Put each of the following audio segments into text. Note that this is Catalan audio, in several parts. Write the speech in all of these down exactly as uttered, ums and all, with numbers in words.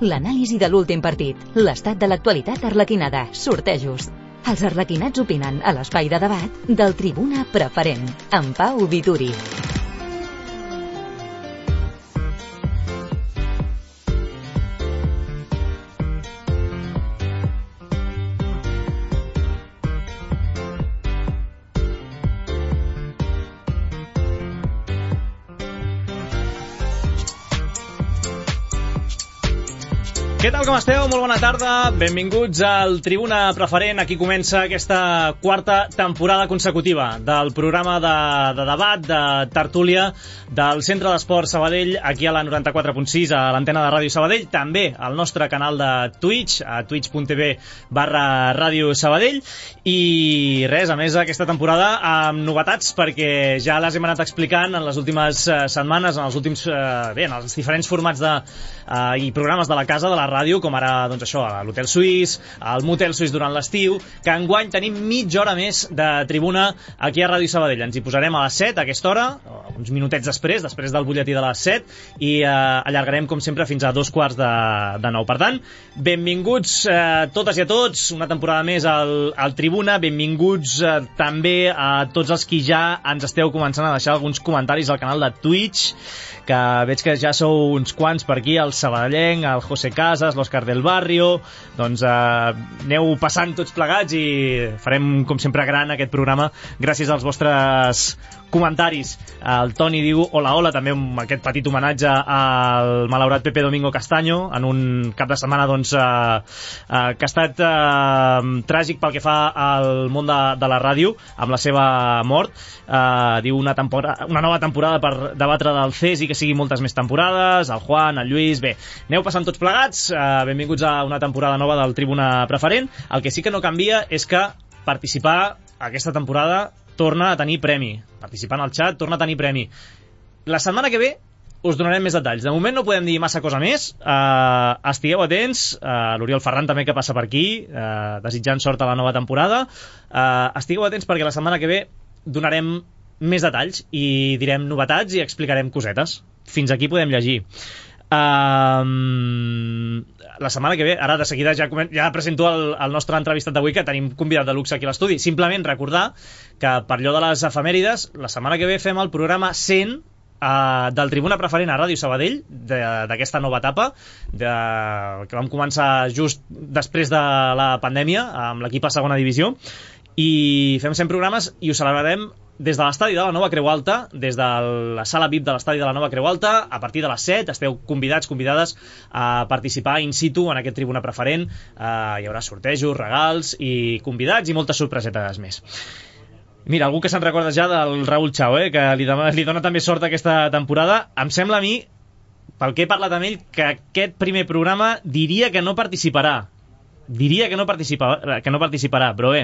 L'anàlisi de l'últim partit, l'estat de l'actualitat arlequinada, sortejos. Els arlequinats opinen a l'espai de debat del Tribuna Preferent, amb Pau Vituri. Què tal, com esteu? Molt bona tarda. Benvinguts al Tribuna Preferent. Aquí comença aquesta quarta temporada consecutiva del programa de, de debat, de tertúlia del Centre d'Esport Sabadell, aquí a la noranta-quatre punt sis, a l'antena de Ràdio Sabadell, també al nostre canal de Twitch, a twitch.tv barra Ràdio Sabadell. I res, a més, aquesta temporada amb novetats, perquè ja les hem anat explicant en les últimes setmanes, en els últims, bé, en els diferents formats de, uh, i programes de la casa, de la ràdio, com ara, doncs això, a l'Hotel Suís, al Motel Suís durant l'estiu, que enguany tenim mitja hora més de tribuna aquí a Ràdio Sabadell. Ens hi posarem a les set, a aquesta hora, uns minutets després, després del butlletí de les set, i eh, allargarem, com sempre, fins a dos quarts de, de nou. Per tant, benvinguts eh, totes i a tots, una temporada més al, al Tribuna, benvinguts eh, també a tots els qui ja ens esteu començant a deixar alguns comentaris al canal de Twitch, que veig que ja sou uns quants per aquí, el Sabadellenc, el José Casas, l'Òscar del Barrio. Doncs eh, aneu passant tots plegats i farem, com sempre, gran aquest programa gràcies als vostres comentaris. El Toni diu hola, hola, també amb aquest petit homenatge al malaurat Pepe Domingo Castaño en un cap de setmana doncs, eh, eh, que ha estat eh, tràgic pel que fa al món de, de la ràdio amb la seva mort. Eh, diu una, temporada, una nova temporada per debatre del C E S i que sigui moltes més temporades. El Juan, el Lluís, bé, aneu passant tots plegats. Eh, benvinguts a una temporada nova del Tribuna Preferent. El que sí que no canvia és que participar aquesta temporada torna a tenir premi. Participant al xat torna a tenir premi. La setmana que ve us donarem més detalls. De moment no podem dir massa cosa més. Uh, estigueu atents. Uh, L'Oriol Ferran també, que passa per aquí, uh, desitjant sort a la nova temporada. Uh, estigueu atents perquè la setmana que ve donarem més detalls i direm novetats i explicarem cosetes. Fins aquí podem llegir. Um, la setmana que ve, ara de seguida ja, ja presento el, el nostre entrevistat d'avui, que tenim convidat de luxe aquí a l'estudi. Simplement recordar que per allò de les efemèrides, la setmana que ve fem el programa cent uh, del Tribuna Preferent a Ràdio Sabadell, d'aquesta nova etapa de, que vam començar just després de la pandèmia amb l'equip a segona divisió, i fem cent programes i ho celebrarem des de l'estadi de la Nova Creu Alta, des de la sala V I P de l'estadi de la Nova Creu Alta, a partir de les set. Esteu convidats, convidades a participar in situ en aquest Tribuna Preferent. Uh, hi haurà sortejos, regals i convidats i moltes sorpresetes més. Mira, algú que se'n recorda ja del Raúl Chao, eh, que li, dona, li dona també sort aquesta temporada. Em sembla a mi, pel que he parlat amb ell, que aquest primer programa diria que no participarà. Diria que no, participa, que no participarà, però bé,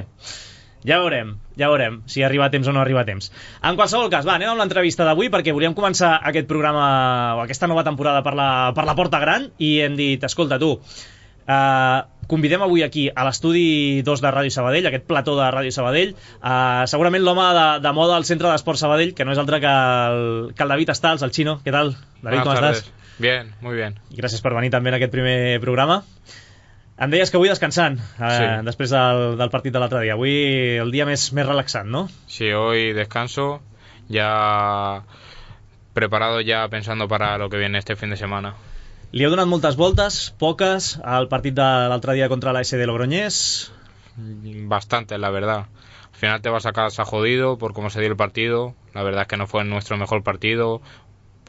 ja veurem, ja veurem si arriba a temps o no arriba a temps. En qualsevol cas, va, anem amb l'entrevista d'avui, perquè volíem començar aquest programa o aquesta nova temporada per la, per la porta gran, i hem dit, escolta tu, uh, convidem avui aquí a l'estudi dos de Ràdio Sabadell, aquest plató de Ràdio Sabadell, uh, segurament l'home de, de moda al Centre d'Esport Sabadell, que no és altre que el, que el David Estals, el Chino. ¿Qué tal, David? ¿Cómo estás? Bien, muy bien. Gràcies per venir també en aquest primer programa. Em deies que avui descansant, eh, sí. Després del, del partit de l'altre dia. Avui el dia més, més relaxant, ¿no? Sí, hoy descanso, ya preparado, ya pensando para lo que viene este fin de semana. Li heu donat moltes voltes, poques, al partit de l'altre dia contra la S D Logroñés? Bastante, la verdad. Al final te vas a casa jodido por cómo se dio el partido. La verdad es que no fue nuestro mejor partido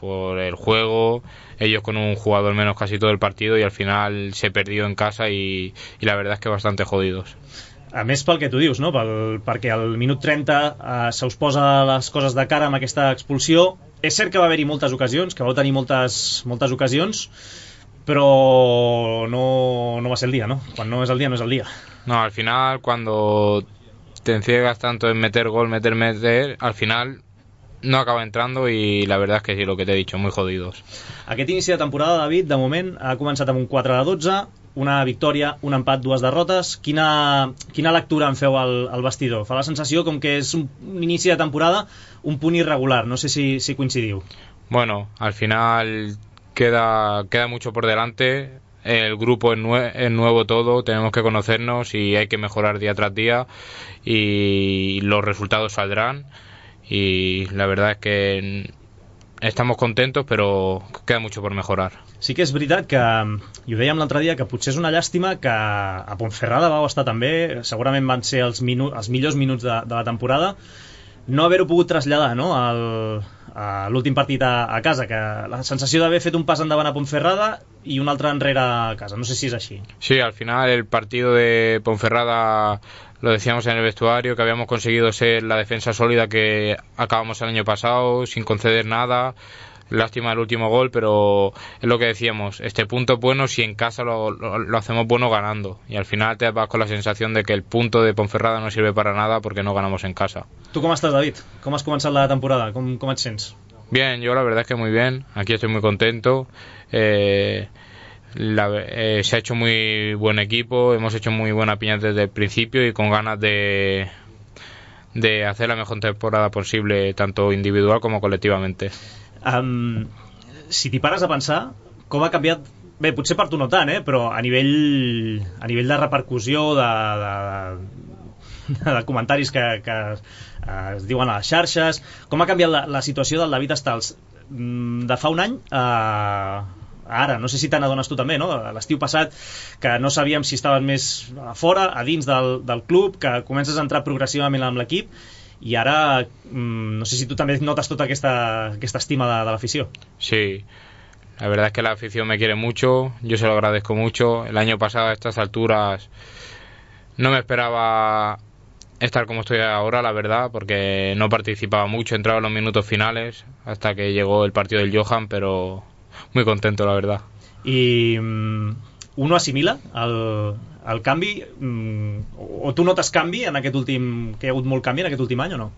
por el juego, ellos con un jugador menos casi todo el partido, y al final se perdió en casa y, y la verdad es que bastante jodidos. A més, pel que tu dius, no? Pel, perquè al minut trenta eh, se us posa les coses de cara amb aquesta expulsió. És cert que va haver-hi moltes ocasions, que vau tenir moltes, moltes ocasions, però no, no va ser el dia, ¿no? Quan no és el dia, no és el dia. No, al final, cuando te enciegas tanto en meter gol, meter, meter, al final no acaba entrando, y la verdad es que sí, lo que te he dicho, muy jodidos. Aquest inici de temporada, David, de moment ha començat amb un quatre de dotze, una victòria, un empat, dues derrotes. Quina, quina lectura en feu al, al vestidor? Fa la sensació com que és un, un inici de temporada un punt irregular, no sé si, si coincidiu. Bueno, al final queda, queda mucho por delante. el grupo es, nue- es nuevo todo, tenemos que conocernos y hay que mejorar día tras día y los resultados saldrán y la verdad es que estamos contentos però queda mucho por mejorar. Sí que és veritat que, i ho dèiem l'altre dia, que potser és una llàstima que a Ponferrada vau estar també, segurament van ser els, minu- els millors minuts de, de la temporada, no haver-ho pogut traslladar, no?, al, a l'últim partit a, a casa, que la sensació d'haver fet un pas endavant a Ponferrada i un altre enrere a casa, no sé si és així. Sí, al final el partido de Ponferrada lo decíamos en el vestuario, que habíamos conseguido ser la defensa sólida que acabamos el año pasado, sin conceder nada. Lástima el último gol, pero es lo que decíamos, este punto es bueno si en casa lo, lo, lo hacemos bueno ganando. Y al final te vas con la sensación de que el punto de Ponferrada no sirve para nada porque no ganamos en casa. Tu com estàs, David? Com has començat la temporada? Com, com et sents? Bien, yo la verdad es que muy bien. Aquí estoy muy contento. Eh... La, eh, se ha hecho muy buen equipo, hemos hecho muy buena piña desde el principio y con ganas de, de hacer la mejor temporada posible, tanto individual como colectivamente. Um, si t'hi pares a pensar, com ha canviat, bé, potser per tu no tant, eh, però a nivell, a nivell de repercussió, de, de, de comentaris que, que es diuen a les xarxes, com ha canviat la, la situació del David Estals de fa un any a... ara, no sé si te n'adones tu també, no? L'estiu passat, que no sabíem si estaven més a fora, a dins del, del club, que comences a entrar progressivament amb l'equip, i ara mmm, no sé si tu també notes tota aquesta, aquesta estima de, de l'afició. Sí, la verdad es que la afición me quiere mucho, yo se lo agradezco mucho. El año pasado a estas alturas no me esperaba estar como estoy ahora, la verdad, porque no participaba mucho, entraba en los minutos finales hasta que llegó el partido del Johan, pero muy contento, la verdad. I um, uno asimila el, el canvi, um, o tu notes canvi en aquest últim, que hi ha hagut molt canvi en aquest últim any o no?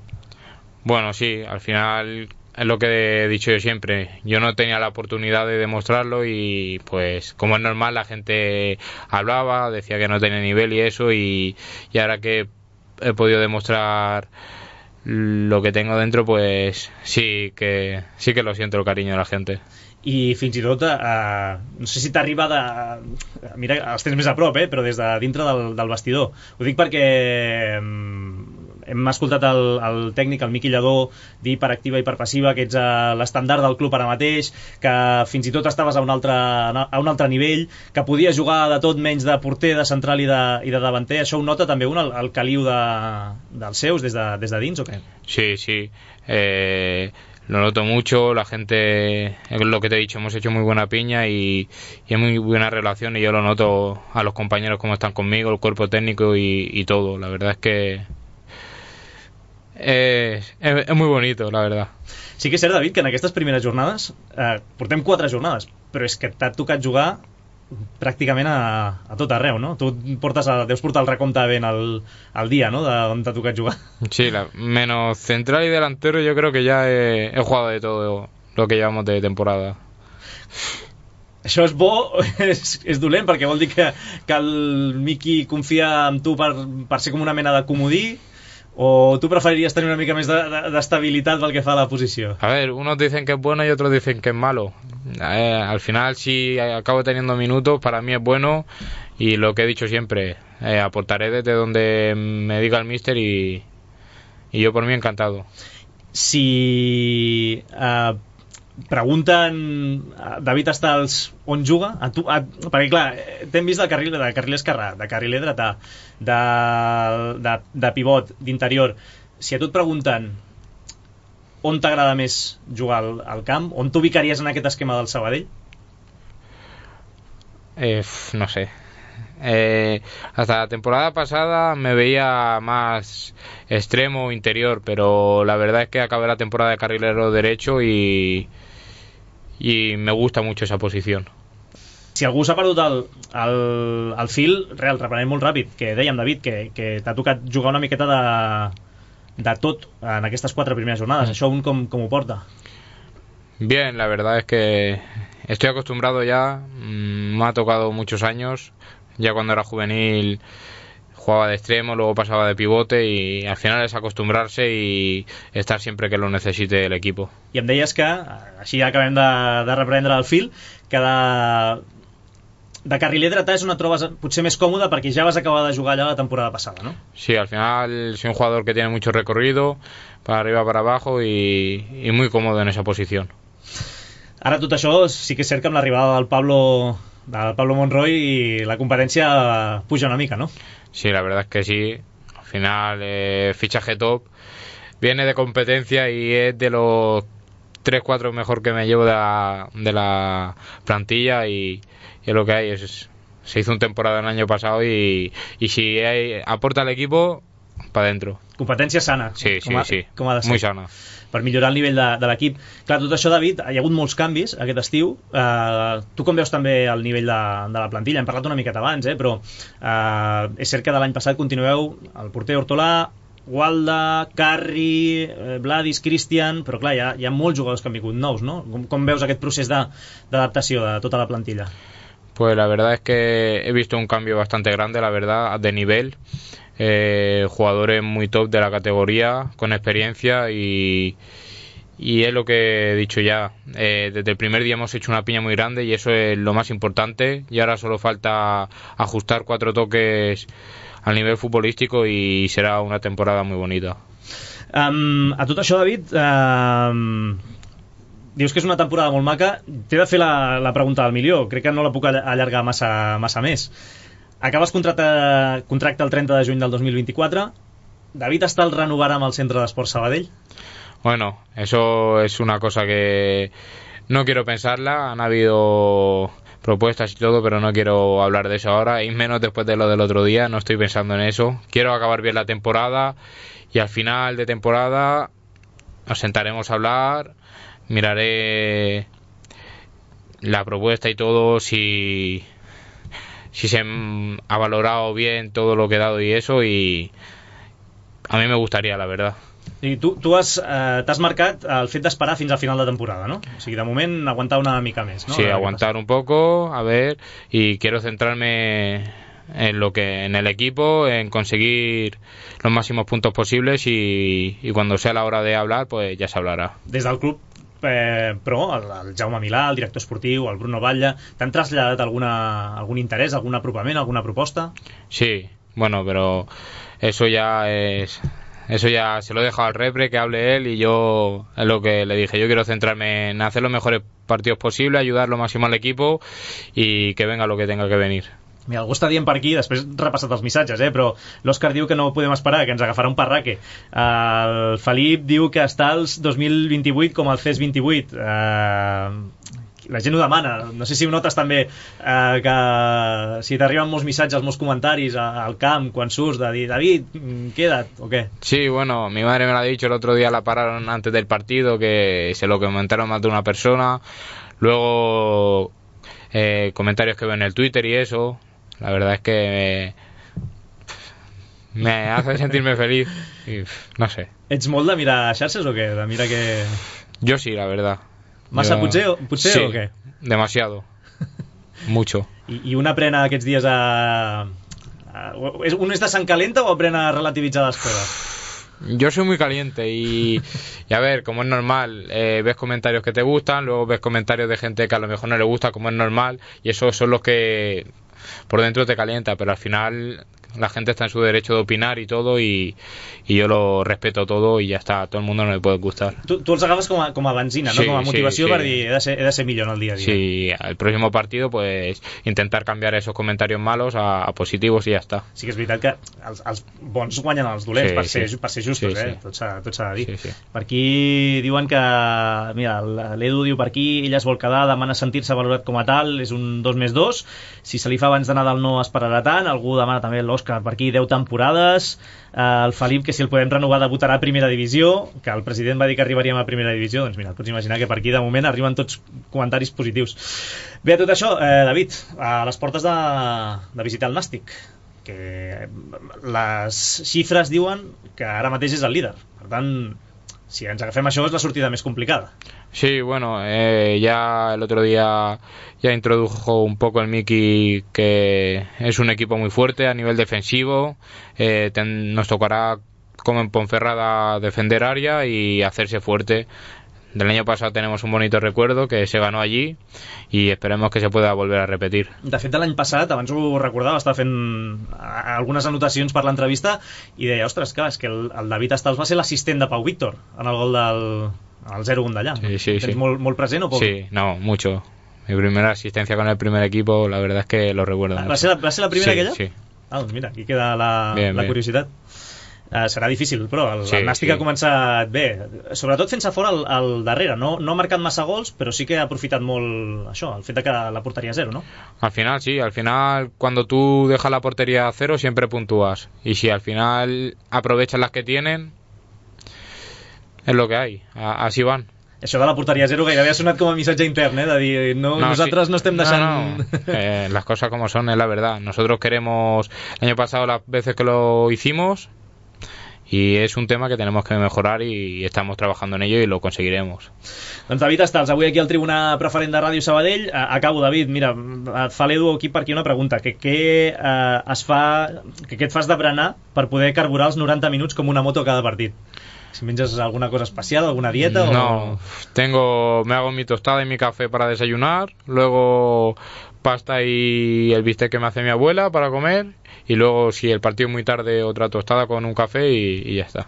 Bueno, sí, al final es lo que he dicho yo siempre, yo no tenía la oportunidad de demostrarlo y pues como es normal la gente hablaba, decía que no tenía nivel y eso y, y ahora que he podido demostrar lo que tengo dentro, pues sí que, sí que lo siento el cariño de la gente. I fins i tot eh, no sé si t'arriba de... mira, els tens més a prop, eh, però des de dintre del, del vestidor. Ho dic perquè eh, hem escoltat el, el tècnic, el Miqui Lladó, dir per activa i per passiva que ets a l'estandard del club ara mateix, que fins i tot estaves a un altre, a un altre nivell, que podies jugar de tot menys de porter, de central i de, i de davanter. Això ho nota també un, el, el caliu de, dels seus des de, des de dins o què? Sí, sí. Eh... Lo noto mucho, la gente, es lo que te he dicho, hemos hecho muy buena piña y, y es muy buena relación y yo lo noto a los compañeros como están conmigo, el cuerpo técnico y, y todo. La verdad es que es, es, es muy bonito, la verdad. Sí que és cert, David, que en aquestes primeres jornades, eh, portem quatre jornades, però és que t'ha tocat jugar pràcticament a, a tot arreu, no? Tu portes a, deus portar el recompte ben al, al dia, no?, d'on t'ha tocat jugar. Sí, la, menos central y delantero yo creo que ya he, he jugado de todo lo que llevamos de temporada. Això és bo, és, és dolent, perquè vol dir que, que el Miqui confia en tu per, per ser com una mena de comodí, o tú preferirías tener una mica més de, de, de estabilitat pel que fa a la posició? A ver, unos dicen que es bueno y otros dicen que es malo. Eh, al final, si acabo teniendo minutos, para mí es bueno y lo que he dicho siempre, eh, aportaré desde donde me diga el míster y, y yo por mí encantado. Si uh, pregunten a David Estals on juga, a tu, a, perquè clar, t'hem vist de carril, de carril esquerrà, de carril dretà, de, de, de pivot, d'interior. Si a tu et pregunten on t'agrada més jugar al, al camp, on t'ubicaries en aquest esquema del Sabadell? Eh, no sé. Eh, hasta la temporada pasada me veía más extremo o interior, pero la verdad es que acabé la temporada de carrilero derecho y, y me gusta mucho esa posición. Si algú s'ha perdut el, el, el fil, real, reprenem molt ràpid, que dèiem, David, que, que t'ha tocat jugar una miqueta de, de tot en aquestes quatre primeres jornades. Això un com, com ho porta? Bien, la verdad es que estoy acostumbrado ya, me ha tocado muchos años. Ya cuando era juvenil jugaba de extremo, luego pasaba de pivote y al final es acostumbrarse y estar siempre que lo necesite el equipo. I em deies que, així ja acabem de, de reprendre el fil, que de, de carriler dretà és on et trobes potser més còmode perquè ja vas acabar de jugar allà la temporada passada, ¿no? Sí, al final soy un jugador que tiene mucho recorrido, para arriba, para abajo y, y muy cómodo en esa posición. Ara tot això sí que és cert que amb l'arribada del Pablo, del Pablo Monroy y la competencia puja una mica, ¿no? Sí, la verdad es que sí. Al final, eh, fichaje top, viene de competencia y es de los tres cuatro mejor que me llevo de la, de la plantilla y, y es lo que hay. Es, se hizo un temporada el año pasado y, y si hay, aporta al equipo, para adentro. Competència sana. Sí, sí, com a, sí. Com ha de ser. Muy sana. Per millorar el nivell de, de l'equip. Clar, tot això, David, hi ha hagut molts canvis aquest estiu. Uh, tu com veus també el nivell de, de la plantilla? Hem parlat una miqueta abans, eh? però uh, és cert que de l'any passat continueu el porter Hortolà, Gualda, Carri, eh, Vladis, Cristian, però clar, hi ha, hi ha molts jugadors que han vingut nous, no? Com, com veus aquest procés d'adaptació de, de tota la plantilla? Pues la verdad es que he visto un cambio bastante grande, la verdad, de nivel. Eh, jugadores muy top de la categoría, con experiencia y, y es lo que he dicho ya. Eh, desde el primer día hemos hecho una piña muy grande y eso es lo más importante. Y ahora solo falta ajustar cuatro toques al nivel futbolístico y será una temporada muy bonita. Um, a tot això, David, um, dius que és una temporada molt maca. T'he de fer la, la pregunta del milió. Crec que no la puc allargar massa, massa més. Acabes contracte, contracte el treinta de juny del dos mil vint-i-quatre. David Estal renovarà amb el Centre d'Esport Sabadell? Bueno, eso es una cosa que no quiero pensarla. Han habido propuestas y todo, pero no quiero hablar de eso ahora, y menos después de lo del otro día. No estoy pensando en eso. Quiero acabar bien la temporada y al final de temporada nos sentaremos a hablar, miraré la propuesta y todo, si, si se ha valorado bien todo lo que he dado y eso, y a mí me gustaría, la verdad. I tu, tu has, eh, t'has marcat el fet d'esperar fins al final de temporada, ¿no? O sigui, de moment aguantar una mica més, ¿no? Sí, aguantar un poco, a ver, y quiero centrarme en lo que en el equipo, en conseguir los máximos puntos posibles y, y cuando sea la hora de hablar, pues ya se hablará. Des del club, eh, però el, el Jaume Milà, el director esportiu, el Bruno Batlle, t'han traslladat alguna, algun interès, algun apropament, alguna proposta? Sí, bueno, pero eso ya es... Eso ya se lo he dejado al repre, que hable él, y yo es lo que le dije. Yo quiero centrarme en hacer los mejores partidos posibles, ayudar lo máximo al equipo y que venga lo que tenga que venir. Mira, algú està dient per aquí, després he repassat els missatges, eh, però l'Òscar diu que no podem esperar, que ens agafarà un parraque. El Felip diu que està als dos mil vint-i-vuit com el C E S vint-i-vuit. Uh, la gent ho demana. No sé si ho notes també, eh, que si t'arriben molts missatges, molts comentaris al camp quan surts de dir, David, queda't, o qué. Sí, bueno, mi madre me lo ha dicho, el otro día la pararon antes del partido, que se lo comentaron más de una persona. Luego eh, comentarios que veo en el Twitter y eso. La verdad es que me, me hace sentirme feliz y, no sé. Ets molt de mirar xarxes o què? De mirar que... Yo sí, la verdad. Massa Yo... potser, potser sí, o què? Demasiado. Mucho. I, I un aprèn aquests dies a... a... Un és de sang calenta o aprèn a relativitzar les coses? Yo soy muy caliente y, y a ver, como es normal, eh, ves comentarios que te gustan, luego ves comentarios de gente que a lo mejor no le gusta, como es normal, y esos son los que por dentro te calienta, pero al final la gente está en su derecho de opinar y todo, y, y yo lo respeto todo y ya está, a todo el mundo no le puede gustar. Tu, tu els agafes com a, com a benzina, sí, no? Com a motivació sí, per sí. dir, he de, ser, he de ser millor en el dia a dia. Sí, el próximo partido pues intentar cambiar esos comentarios malos a, a positivos y ya está. Sí que és veritat que els, els bons guanyen els dolents, sí, per, ser, sí. per ser justos, sí, eh? Sí. Tot s'ha de dir. Sí, sí. Per aquí diuen que, mira, l'Edu diu per aquí, ella es vol quedar, demana sentir-se valorat com a tal, és un dos més dos, si se li fa abans de Nadal no esperarà tant, algú demana també l'Òscar per aquí deu temporades, el Felip que si el podem renovar debutarà a primera divisió, que el president va dir que arribaríem a primera divisió, doncs mira, pots imaginar que per aquí de moment arriben tots comentaris positius. Bé, a tot això, eh, David, a les portes de, de visitar el Nàstic, que les xifres diuen que ara mateix és el líder, per tant, si ens agafem això és la sortida més complicada. Sí, bueno, eh, ya el otro día ya introdujo un poco el Miki que es un equipo muy fuerte a nivel defensivo, eh, ten, nos tocará como en Ponferrada defender área y hacerse fuerte. del año pasado tenemos un bonito recuerdo que se ganó allí y esperemos que se pueda volver a repetir. De fet, de l'any passat, abans ho recordava, estava fent algunes anotacions per l'entrevista i deia, ostres, clar, és que el, el David Estals va ser l'assistent de Pau Víctor en el gol del el zero un d'allà. Sí, sí, ¿Tens sí. molt, molt present o poc? Sí, no, mucho. Mi primera asistencia con el primer equipo, la verdad es que lo recuerdo. ¿Va ser la, va ser la primera sí, aquella? Sí. Ah, doncs mira, aquí queda la, bien, la bien. curiositat. Uh, serà difícil, però el, sí, el Nàstic sí. ha començat bé, sobretot fent-se fora el, el darrere, no, no ha marcat massa gols, però sí que ha aprofitat molt això, el fet de que la porteria a zero, ¿no? Al final sí, al final cuando tú dejas la portería a cero siempre puntúas y si al final aprovechas las que tienen es lo que hay, a, así van. Això de la porteria a zero gairebé ha sonat com a missatge intern, eh? De dir, no, no, nosaltres sí. no estem deixant... No, no. Eh, las cosas como son, es la verdad. Nosotros queremos, el año pasado las veces que lo hicimos, y es un tema que tenemos que mejorar y estamos trabajando en ello y lo conseguiremos. Doncs David Estals, avui aquí al Tribuna Preferent de Ràdio Sabadell. Acabo, David, mira, et fa l'Edu aquí per aquí una pregunta. Que què eh, es fa, que què et fas de berenar per poder carburar els noranta minuts com una moto a cada partit? Si menges alguna cosa especial, alguna dieta no, o... tengo, me hago mi tostada y mi café para desayunar, luego pasta y el bistec que me hace mi abuela para comer y luego si el partido es muy tarde otra tostada con un café y, y ya està.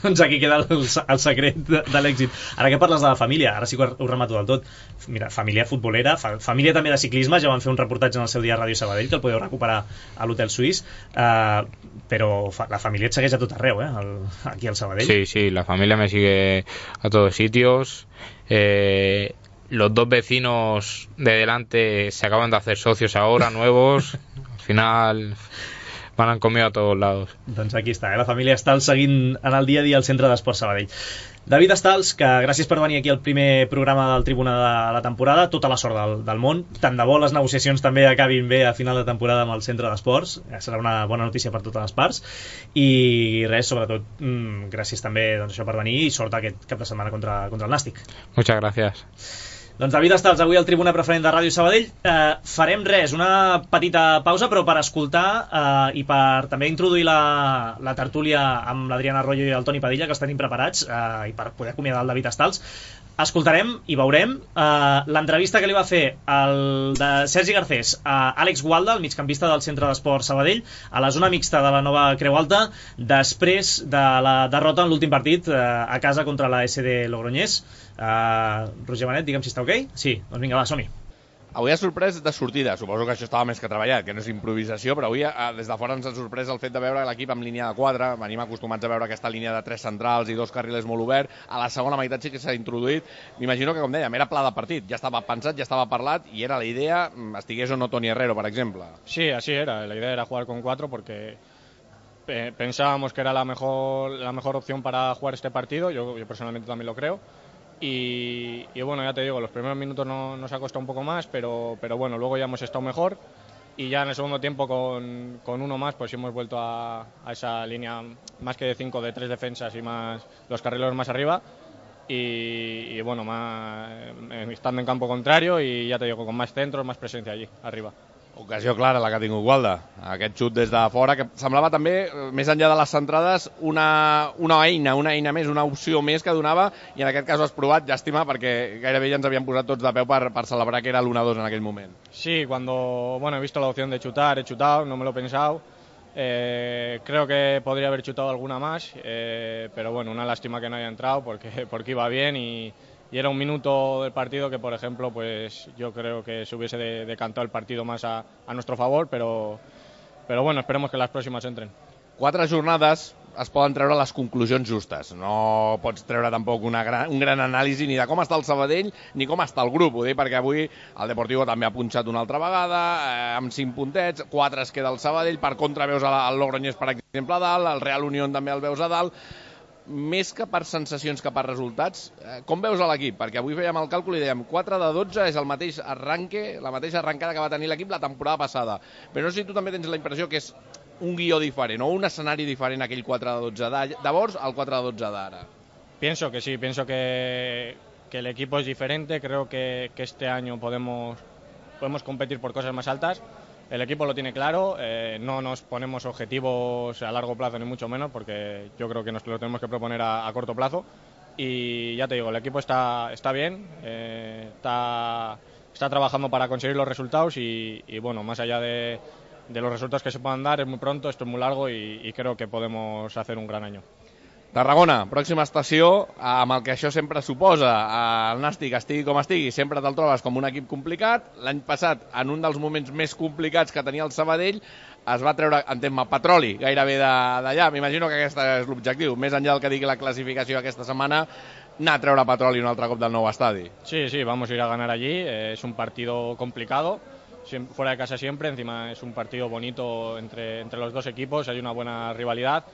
Doncs aquí queda el, el secret de, de l'èxit. Ara que parles de la família, ara sí que ho remato del tot. Mira, família futbolera, fa, família també de ciclisme, ja van fer un reportatge en el seu dia a Ràdio Sabadell que el podeu recuperar a l'Hotel Suís, uh, però fa, la família et segueix a tot arreu, eh? El, aquí al Sabadell. Sí, sí, la familia me sigue a todos sitios. Eh, los dos vecinos de delante se acaban de hacer socios ahora, nuevos. Al final van conmigo a todos lados. Doncs aquí està, eh? La família Estals seguint en el dia a dia al Centre d'Esports Sabadell. David Estals, que gràcies per venir aquí al primer programa del Tribuna de la temporada, tota la sort del, del món, tant de bo les negociacions també acabin bé a final de temporada amb el Centre d'Esports, serà una bona notícia per totes les parts, i res, sobretot mmm, gràcies també doncs, això per venir i sort aquest cap de setmana contra, contra el Nàstic. Muchas gracias. Doncs David Estals, avui al Tribuna Preferent de Ràdio Sabadell. Eh, farem res, una petita pausa, però per escoltar eh, i per també introduir la, la tertúlia amb l'Adriana Arroyo i el Toni Padilla, que els tenim preparats, eh, i per poder acomiadar el David Estals, escoltarem i veurem eh, l'entrevista que li va fer el de Sergi Garcés a Àlex Gualda, el migcampista del Centre d'Esports Sabadell, a la zona mixta de la nova Creu Alta, després de la derrota en l'últim partit eh, a casa contra la S D Logroñés. Uh, Roger Benet, digue'm si està ok? Sí, doncs vinga, va, som-hi. Avui ha sorprès de sortida, suposo que això estava més que treballat, que no és improvisació, però avui des de fora ens ha sorprès el fet de veure l'equip amb línia de quatre, venim acostumats a veure aquesta línia de tres centrals i dos carrilers molt obert, a la segona meitat sí que s'ha introduït, m'imagino que com dèiem, era pla de partit, ja estava pensat, ja estava parlat i era la idea, estigués o no Toni Herrero, per exemple. Sí, así era, la idea era jugar con cuatro porque pensábamos que era la mejor, la mejor opción para jugar este partido, yo, yo personalmente también lo creo. Y, y bueno, ya te digo, los primeros minutos no, nos ha costado un poco más, pero, pero bueno, luego ya hemos estado mejor y ya en el segundo tiempo con, con uno más pues hemos vuelto a, a esa línea más que de cinco, de tres defensas y más los carrileros más arriba y, y bueno, más, estando en campo contrario y ya te digo, con más centros, más presencia allí, arriba. Ocasió clara la que ha tingut Gualda, aquest xut des de fora, que semblava també, més enllà de les centrades, una, una eina, una eina més, una opció més que donava, i en aquest cas ho has provat, llàstima, perquè gairebé ja ens havien posat tots de peu per, per celebrar que era l'uno a dos en aquell moment. Sí, cuando bueno, he visto la opción de chutar, he chutado, no me lo he pensado, eh, creo que podría haber chutado alguna más, eh, pero bueno, una lástima que no haya entrado, porque, porque iba bien y... Y era un minuto del partido que, por ejemplo, pues yo creo que se hubiese de, decantado el partido más a, a nuestro favor, pero, pero bueno, esperemos que las próximas entren. Quatre jornades es poden treure les conclusions justes. No pots treure tampoc una gran, un gran anàlisi ni de com està el Sabadell ni com està el grup. Ho dic perquè avui el Deportivo també ha punxat una altra vegada, eh, amb cinc puntets, quatre es queda el Sabadell, per contra veus el Logroñés, per exemple, a dalt, el Real Unión també el veus a dalt. Més que per sensacions que per resultats, com veus a l'equip? Perquè avui fèiem el càlcul i dèiem quatre de dotze és el mateix arranque, la mateixa arrencada que va tenir l'equip la temporada passada. Però no sé si tu també tens la impressió que és un guió diferent o un escenari diferent aquell quatre de dotze de llavors al quatre de dotze d'ara. Pienso que sí, pienso que, que el equipo es diferente, creo que, que este año podemos, podemos competir por cosas más altas. El equipo lo tiene claro, eh, no nos ponemos objetivos a largo plazo ni mucho menos porque yo creo que nos lo tenemos que proponer a, a corto plazo y ya te digo, el equipo está, está bien, eh, está, está trabajando para conseguir los resultados y, y bueno, más allá de, de los resultados que se puedan dar, es muy pronto, esto es muy largo y, y creo que podemos hacer un gran año. Tarragona, pròxima estació, amb el que això sempre suposa. El Nàstic, estigui com estigui, sempre te'l trobes com un equip complicat. L'any passat, en un dels moments més complicats que tenia el Sabadell, es va treure, entenc, el Petroli gairebé d'allà. M'imagino que aquest és l'objectiu, més enllà del que digui la classificació aquesta setmana, anar a treure Petroli un altre cop del nou estadi. Sí, sí, vamos a ir a ganar allí, eh, es un partido complicado, fuera de casa siempre, encima es un partido bonito entre, entre los dos equipos, hay una buena rivalidad.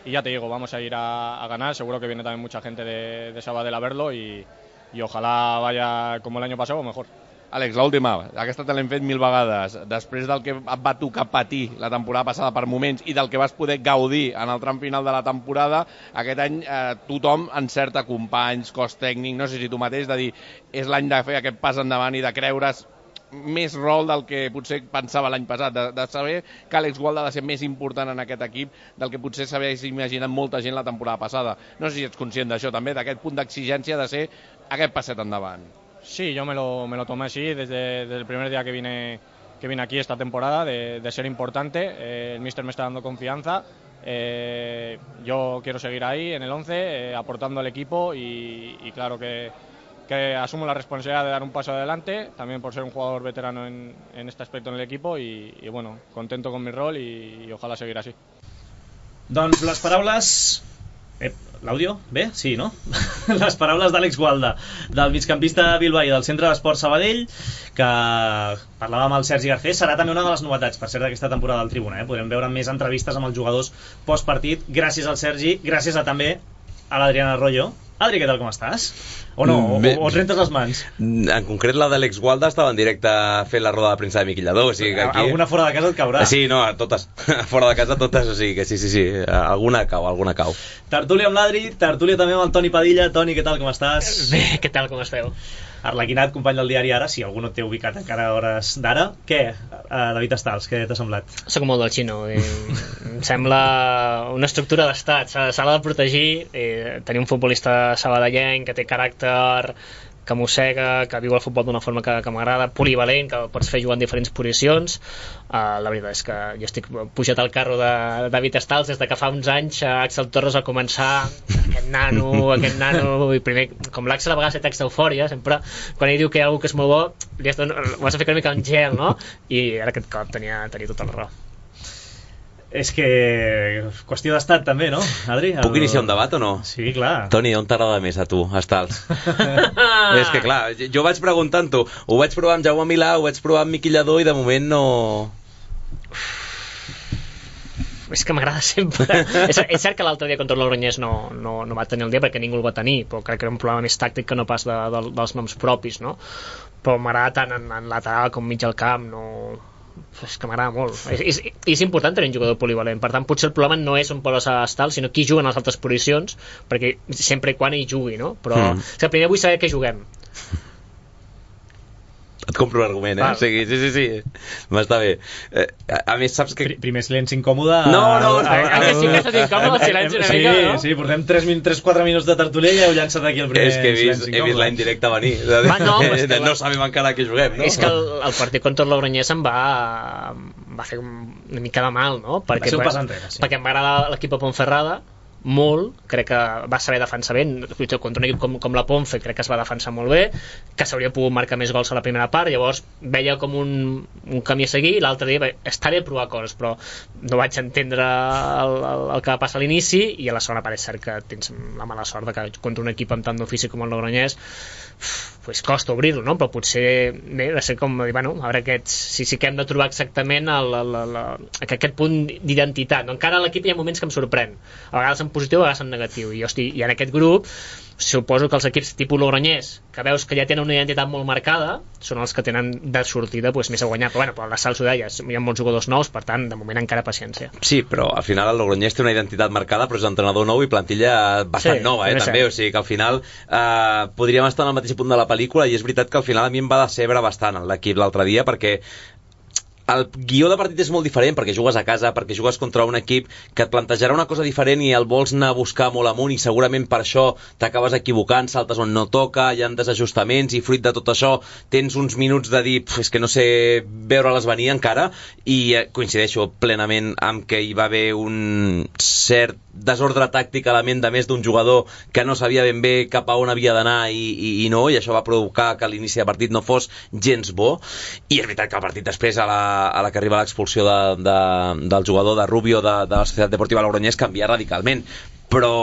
Y ya te digo, vamos a ir a, a ganar, seguro que viene también mucha gente de, de Sabadell a verlo y, y ojalá vaya como el año pasado o mejor. Àlex, l'última, aquesta te l'hem fet mil vegades. Després del que et va tocar patir la temporada passada per moments i del que vas poder gaudir en el tram final de la temporada, aquest any eh, tothom encerta companys, cos tècnic, no sé si tu mateix, de dir és l'any de fer aquest pas endavant i de creure's més rol del que potser pensava l'any passat, de, de saber que Àlex Gualda ha de ser més important en aquest equip del que potser s'hagués imaginat molta gent la temporada passada. No sé si ets conscient d'això també, d'aquest punt d'exigència de ser aquest passet endavant. Sí, yo me lo, me lo tomé así desde, desde el primer día que vine, que vine aquí esta temporada, de, de ser importante. Eh, el míster me está dando confianza. Eh, yo quiero seguir ahí en el once, eh, aportando al equipo y, y claro que que asumo la responsabilidad de dar un paso adelante, también por ser un jugador veterano en, en este aspecto en el equipo y, y bueno, contento con mi rol y, y ojalá seguir así. Doncs les paraules... Eh, l'àudio? Bé? Sí, no? Les paraules d'Àlex Gualda, del migcampista bilbaí del Centre d'Esport Sabadell, que parlava amb el Sergi Garcés. Serà també una de les novetats, per cert, d'aquesta temporada del Tribuna. Eh? Podrem veure més entrevistes amb els jugadors postpartit, gràcies al Sergi, gràcies a també a l'Adrián Arroyo. Adri, què tal, com estàs? O no? O, o et rentes les mans? En concret, la d'Àlex Gualda estava en directe fent la roda de premsa de Miquillador. O sigui que aquí... Alguna fora de casa et caurà. Sí, no, totes. Fora de casa totes, o sigui que sí, sí, sí. Alguna cau, alguna cau. Tertúlia amb l'Adri, tertúlia també amb el Toni Padilla. Toni, què tal, com estàs? Bé, què tal, com esteu? Arlequinat, company del diari Ara, si algú no t'he ubicat encara a hores d'ara. Què, David Estals, què t'ha semblat? Soc molt del xino. Eh, em sembla una estructura d'estat. S'ha de protegir, eh, tenir un futbolista sabadellenc que té caràcter, que mossega, que viu el futbol d'una forma que, que m'agrada, polivalent, que pots fer jugar en diferents posicions. Uh, la veritat és que jo estic pujat al carro de David Estals des de que fa uns anys Axel Torres va començar aquest nano, aquest nano, i primer, com l'Axel a vegades té text d'eufòria, sempre quan ell diu que hi ha algú que és molt bo, li has de, ho has de fer una mica en gel, no? I ara aquest cop tenia, tenia tota la raó. És que... qüestió d'estat també, no, Adri? El... Puc iniciar un debat o no? Sí, clar. Toni, on t'agrada més a tu, Estals? És que clar, jo vaig preguntant-ho. Ho vaig provar amb Jaume Milà, ho vaig provar amb Miquillador i de moment no... És que m'agrada sempre. és, és cert que l'altre dia contra el Logroñés no, no, no va tenir el dia perquè ningú el va tenir, però crec que era un problema més tàctic que no pas de, de, dels noms propis, no? Però m'agrada tant en, en lateral com mig al camp, no... és que m'agrada molt. És, és, és important tenir un jugador polivalent, per tant potser el problema no és on poses a Estal, sinó qui juga en les altres posicions, perquè sempre i quan hi jugui, no? Però mm. o sigui, primer vull saber què juguem. Et compro l'argument, eh? Sí, sí, sí, sí. M'està bé. Eh, a, a més, saps que... Primer silenci incòmode... No, no, no. Ah, que sí que estàs incòmode el silenci una sí, mica, no? Sí, portem tres quatre minuts de tertúlia i heu llançat aquí el primer silenci incòmode. És que he vist, he vist la indirecta venir. Va, no, és que no sabem encara què juguem, no? És que el, el partit contra el Logroñés em va, va fer una mica de mal, no? Perquè, va ser un pas enrere, sí. Perquè m'agrada l'equip a Ponferrada, molt, crec que va saber defensar bé contra un equip com, com la Ponfe, crec que es va defensar molt bé, que s'hauria pogut marcar més gols a la primera part, llavors veia com un, un camí a seguir, i l'altre dia bé, està bé provar coses, però no vaig entendre el, el, el que va passar a l'inici, i a la segona part és cert que tens la mala sort de que contra un equip amb tant d'ofici com el Logroñés pues costa obrir-lo, no? Però potser bé, ha de ser com dir, bueno, a veure aquests, si sí que hem de trobar exactament el, el, el, el, aquest punt d'identitat, no? Encara a l'equip hi ha moments que em sorprèn, a vegades en positiu, a vegades en negatiu, i, hosti, i en aquest grup suposo que els equips tipus Logroñés, que veus que ja tenen una identitat molt marcada, són els que tenen de sortida pues, més a guanyar, però bueno, però la Sals ho deia, hi ha molts jugadors nous, per tant, de moment encara paciència. Sí, però al final el Logroñés té una identitat marcada, però és entrenador nou i plantilla bastant sí, nova, eh, també, o sigui que al final eh, podríem estar en el mateix punt de la pel·lícula, i és veritat que al final a mi em va decebre bastant l'equip l'altre dia, perquè el guió de partit és molt diferent perquè jugues a casa, perquè jugues contra un equip que et plantejarà una cosa diferent i el vols anar a buscar molt amunt i segurament per això t'acabes equivocant, saltes on no toca, hi ha desajustaments i fruit de tot això tens uns minuts de dir, és que no sé veure-les venir encara, i coincideixo plenament amb que hi va haver un cert desordre tàctic a la ment de més d'un jugador que no sabia ben bé cap a on havia d'anar i, i, i no, i això va provocar que l'inici de partit no fos gens bo, i és veritat que el partit després a la, a la que arriba l'expulsió de, de, del jugador de Rubio de, de la Societat Deportiva Logroñés canvia radicalment, però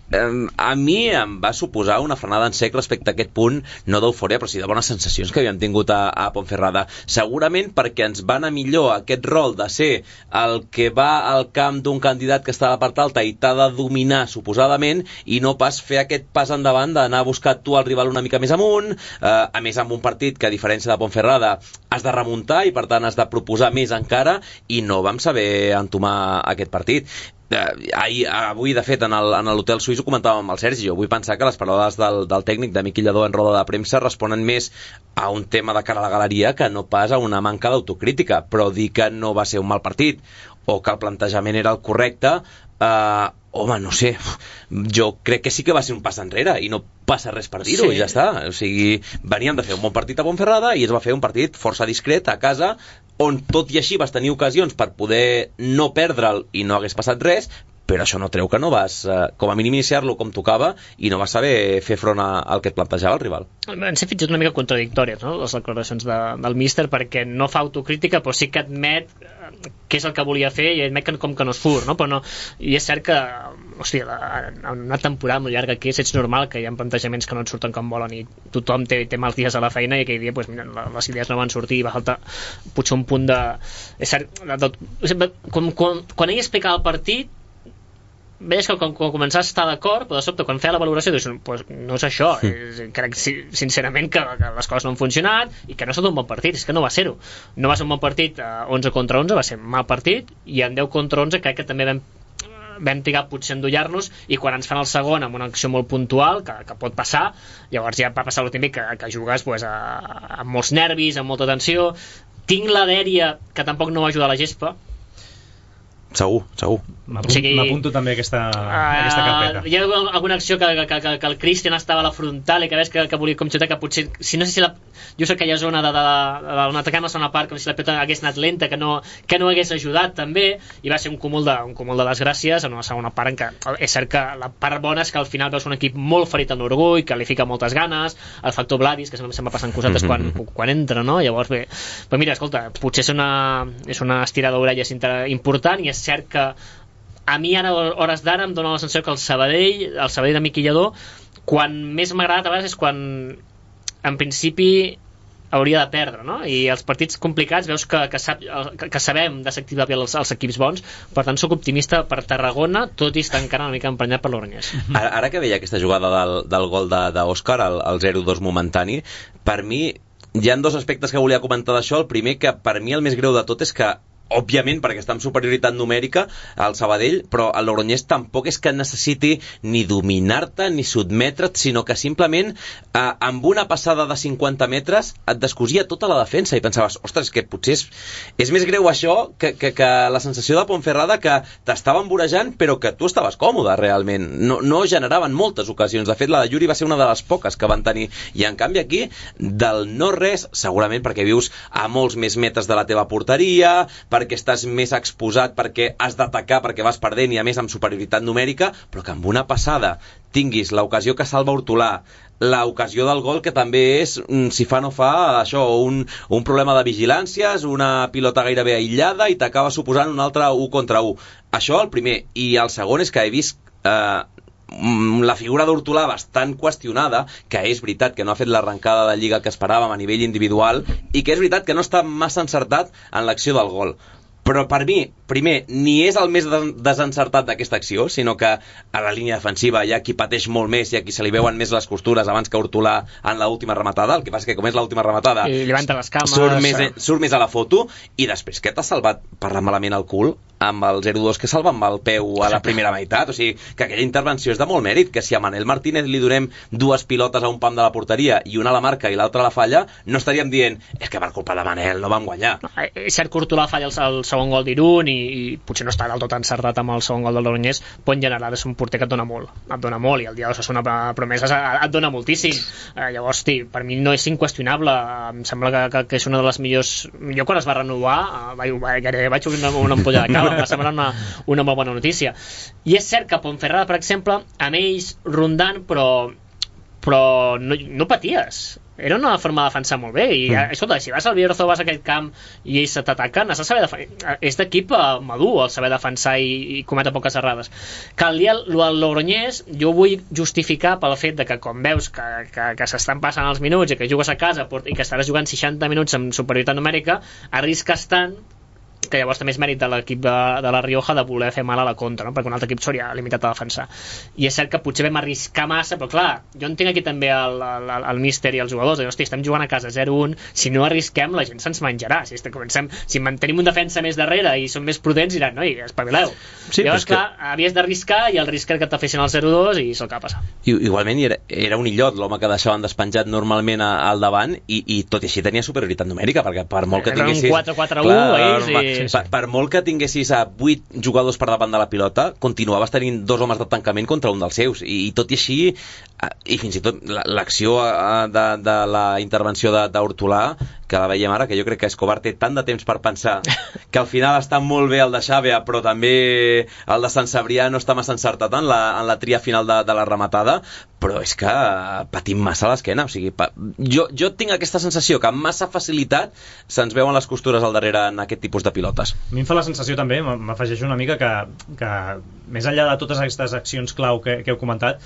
a mi em va suposar una frenada en sec respecte a aquest punt, no d'eufòria, però sí de bones sensacions que havíem tingut a, a Ponferrada. Segurament perquè ens va anar millor aquest rol de ser el que va al camp d'un candidat que està a la part alta i t'ha de dominar suposadament, i no pas fer aquest pas endavant d'anar a buscar tu el rival una mica més amunt, eh, a més amb un partit que a diferència de Ponferrada has de remuntar i per tant has de proposar més encara, i no vam saber entomar aquest partit. Eh, ahir, avui de fet en l'hotel suís ho comentàvem amb el Sergi, jo vull pensar que les paraules del, del tècnic de Miquel Lladó en roda de premsa responen més a un tema de cara a la galeria que no pas a una manca d'autocrítica, però dir que no va ser un mal partit o que el plantejament era el correcte, eh, home, no sé, jo crec que sí que va ser un pas enrere i no passa res per dir-ho, sí. I ja està, o sigui, veníem de fer un bon partit a Ponferrada i es va fer un partit força discret a casa, on tot i així vas tenir ocasions per poder no perdre'l i no hagués passat res, però això no treu que no vas, eh, com a mínim, iniciar-lo com tocava i no vas saber fer front al que et plantejava el rival. Van ser fins i tot una mica contradictòries, no?, les declaracions de, del míster, perquè no fa autocrítica però sí que admet què és el que volia fer i admet que com que no es fur, no? Però no, i és cert que, hòstia, la, en una temporada molt llarga que és, ets normal que hi ha plantejaments que no et surten com volen i tothom té, té mals dies a la feina i aquell dia pues, mira, les idees no van sortir i va faltar potser un punt de... És cert, de, de, quan, quan, quan ell explicava el partit veies que quan, quan començava a estar d'acord, però de sobte quan feia la valoració dius, pues, no és això, és, crec sincerament que, que les coses no han funcionat i que no ha estat un bon partit, és que no va ser-ho, no va ser un bon partit eh, onze contra onze, va ser un mal partit, i en deu contra onze crec que també vam vam trigar potser a endollar-nos, i quan ens fan el segon amb una acció molt puntual que, que pot passar, llavors ja va passar el típic que, que jugues pues, a, amb molts nervis, amb molta tensió. Tinc la dèria que tampoc no va ajudar la gespa. Segur, segur. M'apunto, o sigui, m'apunto també aquesta, uh, aquesta carpeta. Hi ha alguna acció que, que, que, que el Cristian estava a la frontal i que veus que, que volia com xutar, que potser, si no sé si la, jo sé que hi ha zona de, de, de, de, on atacam la segona part, com si la pilota hagués anat lenta, que no, que no hagués ajudat també, i va ser un cúmul de, un cúmul de desgràcies en una segona part en què és cert que la part bona és que al final veus un equip molt ferit en l'orgull, que li fica moltes ganes, el factor Vladis, que se'm va passant cosetes quan, quan entra, no? Llavors bé, però mira, escolta, potser és una, és una estirada d'orelles important, i és cert que a mi ara, hores d'ara, em dóna la sensació que el Sabadell, el Sabadell de Miquel Lladó, quan més m'ha agradat a vegades és quan en principi hauria de perdre, no? I els partits complicats veus que, que, sap, que, que sabem desactivar bé els, els equips bons, per tant sóc optimista per Tarragona, tot i estar encara una mica emprenyat per l'Oranyès. Ara, ara que veia aquesta jugada del, del gol d'Òscar, el, el zero dos momentani, per mi hi ha dos aspectes que volia comentar d'això. El primer, que per mi el més greu de tot és que òbviament perquè està en superioritat numèrica al Sabadell, però el Logroñés tampoc és que necessiti ni dominar-te ni sotmetre't, sinó que simplement eh, amb una passada de cinquanta metres et descosia tota la defensa i pensaves, ostres, que potser és, és més greu això que, que, que la sensació de Ponferrada, que t'estaven vorejant però que tu estaves còmode realment, no, no generaven moltes ocasions. De fet la de Yuri va ser una de les poques que van tenir, i en canvi aquí del no res, segurament perquè vius a molts més metres de la teva porteria, perquè estàs més exposat, perquè has d'atacar, perquè vas perdent i a més amb superioritat numèrica, però que amb una passada tinguis l'ocasió que salva Hortolà, l'ocasió del gol que també és, si fa no fa, això, un, un problema de vigilàncies, una pilota gairebé aïllada i t'acaba suposant un altre u contra u. Això el primer. I el segon és que he vist eh, la figura d'Hortolà bastant qüestionada, que és veritat que no ha fet l'arrencada de Lliga que esperàvem a nivell individual i que és veritat que no està massa encertat en l'acció del gol, però per mi, primer, ni és el més desencertat d'aquesta acció, sinó que a la línia defensiva hi ha qui pateix molt més i a qui se li veuen més les costures abans que Hortolà en l'última rematada. El que passa que com és l'última rematada i levanta les cames, surt més, surt més a la foto, i després que t'ha salvat parlant malament el cul amb el zero dos que salva amb el peu a la primera meitat. O sigui, que aquella intervenció és de molt mèrit, que si a Manel Martínez li donem dues pilotes a un pam de la porteria i una a la marca i l'altra a la falla, no estaríem dient és que per culpa de Manel no vam guanyar. No, és cert que Hortolà falla el, el segon gol d'Irún i, i potser no està del tot encertat amb el segon gol del Logroñés, però en general és un porter que et dona molt, et dona molt, i el dia d'Osasuna Promeses et dona moltíssim. Eh, llavors, tí, per mi no és inqüestionable. Em sembla que, que, que és una de les millors... Jo quan es va renovar vaig, vaig, vaig obrir una, una ampolla de cava, em va semblar una, una molt bona notícia. I és cert que Ponferrada, per exemple, amb ells rondant, però però no, no paties. Era una forma de defensar molt bé i, mm. escolta, si vas al Bierzo, vas a aquest camp i ells t'ataquen, has de saber defensar. És d'equip madur el saber defensar i, i cometre poques errades. Que el dia el Logroñés jo vull justificar pel fet de que quan veus que, que, que s'estan passant els minuts i que jugues a casa i que estaràs jugant seixanta minuts amb superioritat numèrica, arrisques tant que llavors també és mèrit de l'equip de, de la Rioja de voler fer mal a la contra, no? Perquè un altre equip s'hauria limitat a defensar. I és cert que potser vam arriscar massa, però clar, jo entenc aquí també el, el, el míster i els jugadors, de, hosti, estem jugant a casa zero un, si no arrisquem la gent se'ns menjarà, si, comencem, si mantenim un defensa més darrere i som més prudents diran, noi, espavileu. Sí, llavors clar, que... havies d'arriscar i el risc era que t'afessin el zero dos i és el que va passar. I, igualment era, era un illot l'home que deixaven despenjat normalment a, al davant i, i tot i així tenia superioritat numèrica, perquè per molt que tinguessis... Era un quatre quatre u ells i... Sí, sí. Per, per molt que tinguessis a vuit jugadors per davant de la pilota, continuaves tenint dos homes de tancament contra un dels seus, i, i tot i així, i fins i tot l'acció de, de la intervenció d'Hortolà, que la veiem ara, que jo crec que Escobar té tant de temps per pensar que al final està molt bé el de Xàbia, però també el de Sant Cebrià no està massa encertat en la, en la tria final de, de la rematada, però és que patim massa a l'esquena. O sigui, pa... jo, jo tinc aquesta sensació que amb massa facilitat se'ns veuen les costures al darrere en aquest tipus de pilotes. A mi em fa la sensació també, m'afegeix una mica que, que més enllà de totes aquestes accions clau que, que heu comentat,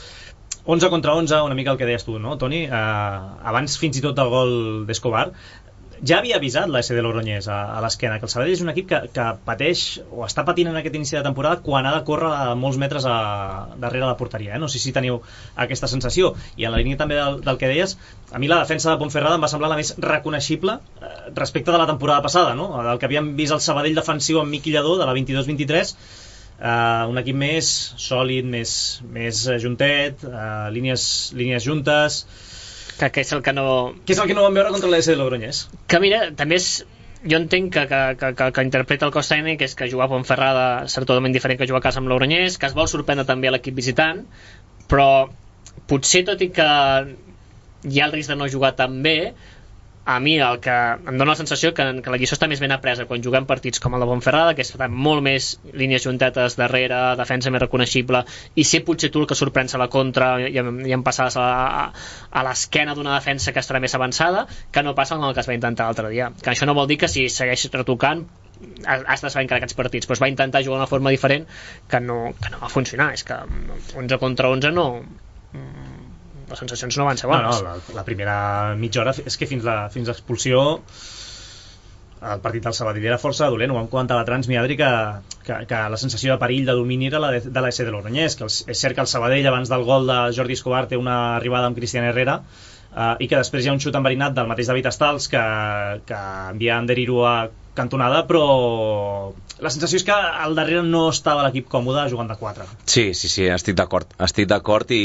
onze contra onze, una mica el que deies tu, no, Toni? Eh, abans fins i tot del gol d'Escobar, ja havia avisat la S D Logroñés a, a l'esquena que el Sabadell és un equip que, que pateix o està patint en aquest inici de temporada quan ha de córrer a molts metres a, darrere la porteria, eh? No sé si teniu aquesta sensació. I en la línia també del, del que deies, a mi la defensa de Ponferrada em va semblar la més reconeixible eh, respecte de la temporada passada, no? Del que havíem vist el Sabadell defensiu amb Miqui Lladó de la vint-i-dos vint-i-tres, Uh, un equip més sòlid, més, més juntet, uh, línies, línies juntes, que, que és el que no... que és el que no vam veure contra l'A S de Logroñés. Que mira, també és... Jo entenc que, que, que, que, que interpreta el cos tècnic, és que jugar a Ponferrada serà totalment diferent que jugar a casa amb Logroñés, que es vol sorprendre també a l'equip visitant, però potser tot i que hi ha el risc de no jugar tan bé, a mi el que em dona la sensació que, que la lliçó està més ben apresa quan juguem partits com el de Ponferrada, que estan molt més línies juntetes darrere, defensa més reconeixible, i ser potser tu el que sorprens a la contra i, i en passades a, a, a l'esquena d'una defensa que estarà més avançada, que no passa amb el que es va intentar l'altre dia. Que això no vol dir que si segueixes retocant has de saber encara aquests partits, però es va intentar jugar d'una forma diferent que no, que no va funcionar. És que onze contra onze no... les sensacions no van ser bones. No, no, la, la primera mitja hora és que fins la fins l'expulsió el partit del Sabadell era força dolent. Ho vam comentar a la Trans, mi Adri, que, que, que la sensació de perill, de domini era la de, de l'A S de Logroñés, que el, és cert que el Sabadell abans del gol de Jordi Escobar té una arribada amb Cristian Herrera, uh, i que després hi ha un xut enverinat del mateix David Estals que, que envia Ander Iru a cantonada, però la sensació és que al darrere no estava l'equip còmode jugant de quatre. Sí, sí, sí, estic d'acord estic d'acord i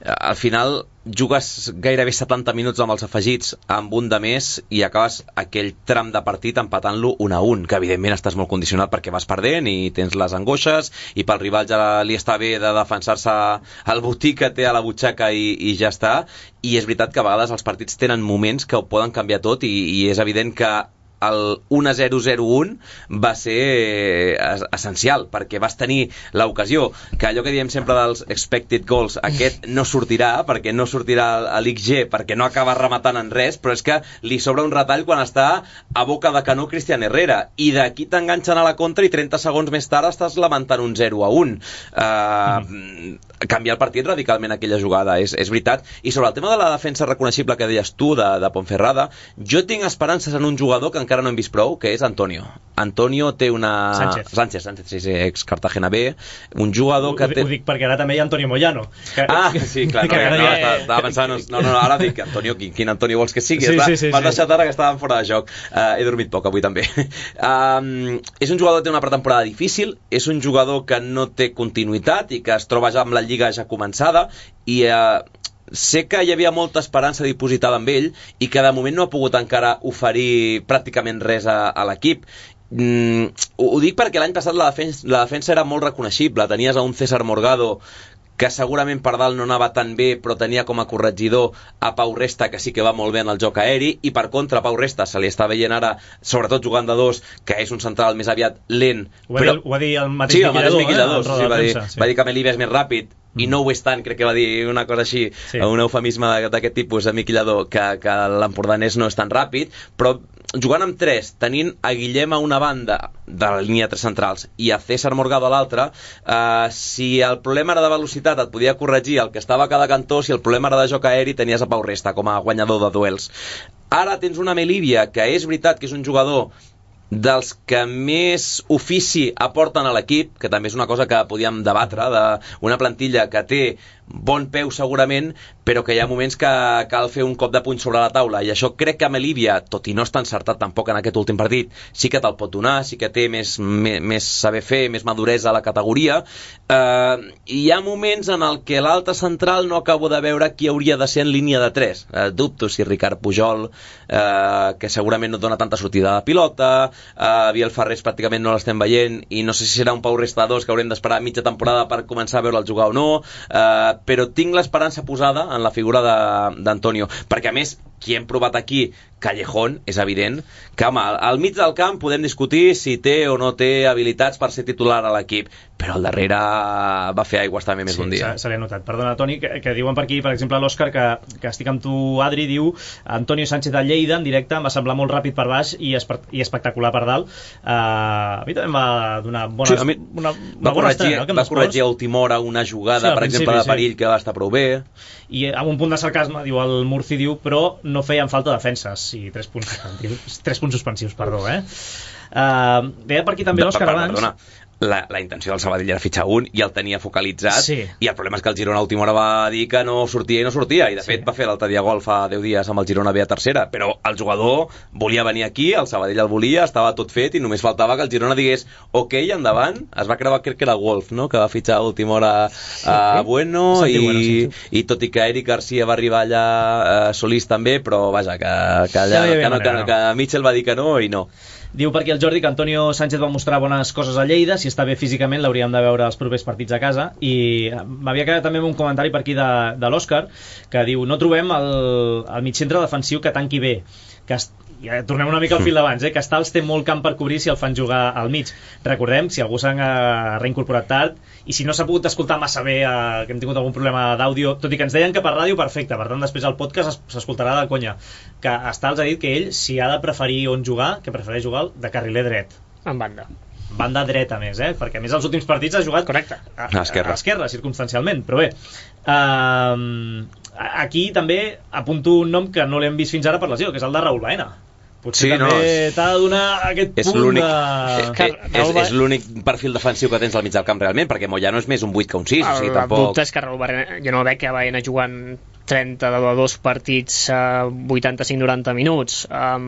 al final jugues gairebé setanta minuts amb els afegits amb un de més i acabes aquell tram de partit empatant-lo un a un, que evidentment estàs molt condicionat perquè vas perdent i tens les angoixes i pel rival ja li està bé de defensar-se el botí que té a la butxaca i, i ja està. I és veritat que a vegades els partits tenen moments que ho poden canviar tot i, i és evident que el un a zero zero un va ser essencial perquè vas tenir l'ocasió, que allò que diem sempre dels expected goals, aquest no sortirà perquè no sortirà a l'X G perquè no acaba rematant en res, però és que li sobra un retall quan està a boca de canó Cristian Herrera i d'aquí t'enganxen a la contra i trenta segons més tard estàs lamentant un zero a un. uh, mm. Canviar el partit radicalment aquella jugada, és, és veritat. I sobre el tema de la defensa reconeixible que deies tu de, de Ponferrada, jo tinc esperances en un jugador que encara no hem vist prou, que és Antonio. Antonio té una... Sánchez. Sánchez, Sánchez, sí, sí, ex Cartagena B, un jugador que ho, té... Ho dic perquè ara també hi ha Antonio Moyano. Que... Ah, sí, clar, no, que no, no, no, estava, estava pensant... No, no, no, ara dic, Antonio, quin, quin Antonio vols que sigui? Sí, Està, sí, sí, m'has sí. deixat ara que estàvem fora de joc. Uh, he dormit poc avui també. Um, és un jugador que té una pretemporada difícil, és un jugador que no té continuïtat i que es troba ja amb la lliga ja començada i... Uh, sé que hi havia molta esperança dipositada amb ell i que de moment no ha pogut encara oferir pràcticament res a, a l'equip. Mm, ho, ho dic perquè l'any passat la defensa, la defensa era molt reconeixible. Tenies a un César Morgado que segurament per dalt no anava tan bé, però tenia com a corregidor a Pau Resta, que sí que va molt bé en el joc aeri, i per contra Pau Resta se li està veient ara, sobretot jugant de dos, que és un central més aviat lent. Ho va, però... dir, ho va dir el mateix sí, el mateix Miquilador, Miquilador, eh, sí, va, dir, premsa, sí. va dir que Melibia és més ràpid, i no ho és tant, crec que va dir una cosa així, sí. Un eufemisme d'aquest tipus a Miquilador, que, que l'empordanès no és tan ràpid, però jugant amb tres, tenint a Guillem a una banda de la línia de tres centrals i a César Morgado a l'altra, eh, si el problema era de velocitat et podia corregir el que estava a cada cantó, si el problema era de joc aeri tenies a Pau Resta com a guanyador de duels. Ara tens una Melibia, que és veritat que és un jugador dels que més ofici aporten a l'equip, que també és una cosa que podíem debatre, d'una plantilla que té bon peu segurament, però que hi ha moments que cal fer un cop de puny sobre la taula, i això crec que Melibia, tot i no està encertat tampoc en aquest últim partit, sí que te'l pot donar, sí que té més, més, més saber fer, més maduresa a la categoria. Eh, hi ha moments en el que l'altre central no acabo de veure qui hauria de ser en línia de tres. Eh, dubto si Ricard Pujol, eh, que segurament no dona tanta sortida de pilota, eh, Biel Ferrés pràcticament no l'estem veient, i no sé si serà un Pau Resta dos que haurem d'esperar mitja temporada per començar a veure'l jugar o no, eh, però tinc l'esperança posada en la figura d'Antonio, perquè a més qui hem provat aquí, Callejón, és evident que home, al mig del camp podem discutir si té o no té habilitats per ser titular a l'equip, però al darrere va fer aigües també més sí, d'un dia. Se l'he notat. Perdona, Toni, que, que diuen per aquí, per exemple, l'Òscar, que, que estic amb tu, Adri, diu Antonio Sánchez de Lleida, en directe, em va semblar molt ràpid per baix i, espe i espectacular per dalt. Uh, a mi també em va donar bones, sí, mi, una, una va bona corregir, estrena, no? Va corregir a última hora una jugada, sí, per exemple, de perill, sí, que va estar prou bé. I amb un punt de sarcasme, diu el Murci, diu, però no feien falta defenses. Sí, tres punts suspensius, tres punts suspensius, perdó, eh? Uh, deia per aquí també l'Òscar abans... Perdona, la, la intenció del Sabadell era fitxar un i el tenia focalitzat, sí. I el problema és que el Girona a última hora va dir que no sortia i no sortia, i de sí. fet va fer l'altre dia gol fa deu dies amb el Girona B a tercera, però el jugador volia venir aquí, el Sabadell el volia, estava tot fet i només faltava que el Girona digués ok, endavant. Es va creuar, crec que era Wolf, no?, que va fitxar a última hora a uh, Bueno, i, bueno sí, sí. i tot i que Eric Garcia va arribar allà, uh, Solís també, però vaja, que, que, allà, ja que, no, que, que Mitchell va dir que no i no. Diu per aquí el Jordi que Antonio Sánchez va mostrar bones coses a Lleida, si està bé físicament l'hauríem de veure els propers partits a casa, i m'havia quedat també un comentari per aquí de, de l'Òscar, que diu no trobem el, el migcentre defensiu que tanqui bé, que ja tornem una mica al fil d'abans, eh? Que Stals té molt camp per cobrir si el fan jugar al mig. Recordem, si algú s'ha reincorporat tard i si no s'ha pogut escoltar massa bé, eh, que hem tingut algun problema d'àudio, tot i que ens deien que per ràdio perfecte, per tant després el podcast s'escoltarà de conya, que Stals ha dit que ell, si ha de preferir on jugar, que prefereix jugar de carriler dret. En banda. Banda dreta més, eh? Perquè a més els últims partits ha jugat correcte a, a, a l'esquerra, circumstancialment, però bé, uh, aquí també apunto un nom que no l'hem vist fins ara per lesió, que és el de Raúl Baena. Potser sí, també no, és... t'ha de donar aquest és punt de... Eh, és és l'únic perfil defensiu que tens al mig del camp realment, perquè Moyano és més un vuit que un sis, el, o sigui, tampoc... El dubte és que Raúl Baena, jo no veig que va anar jugant trenta de dos partits a vuitanta-cinc noranta minuts. Um,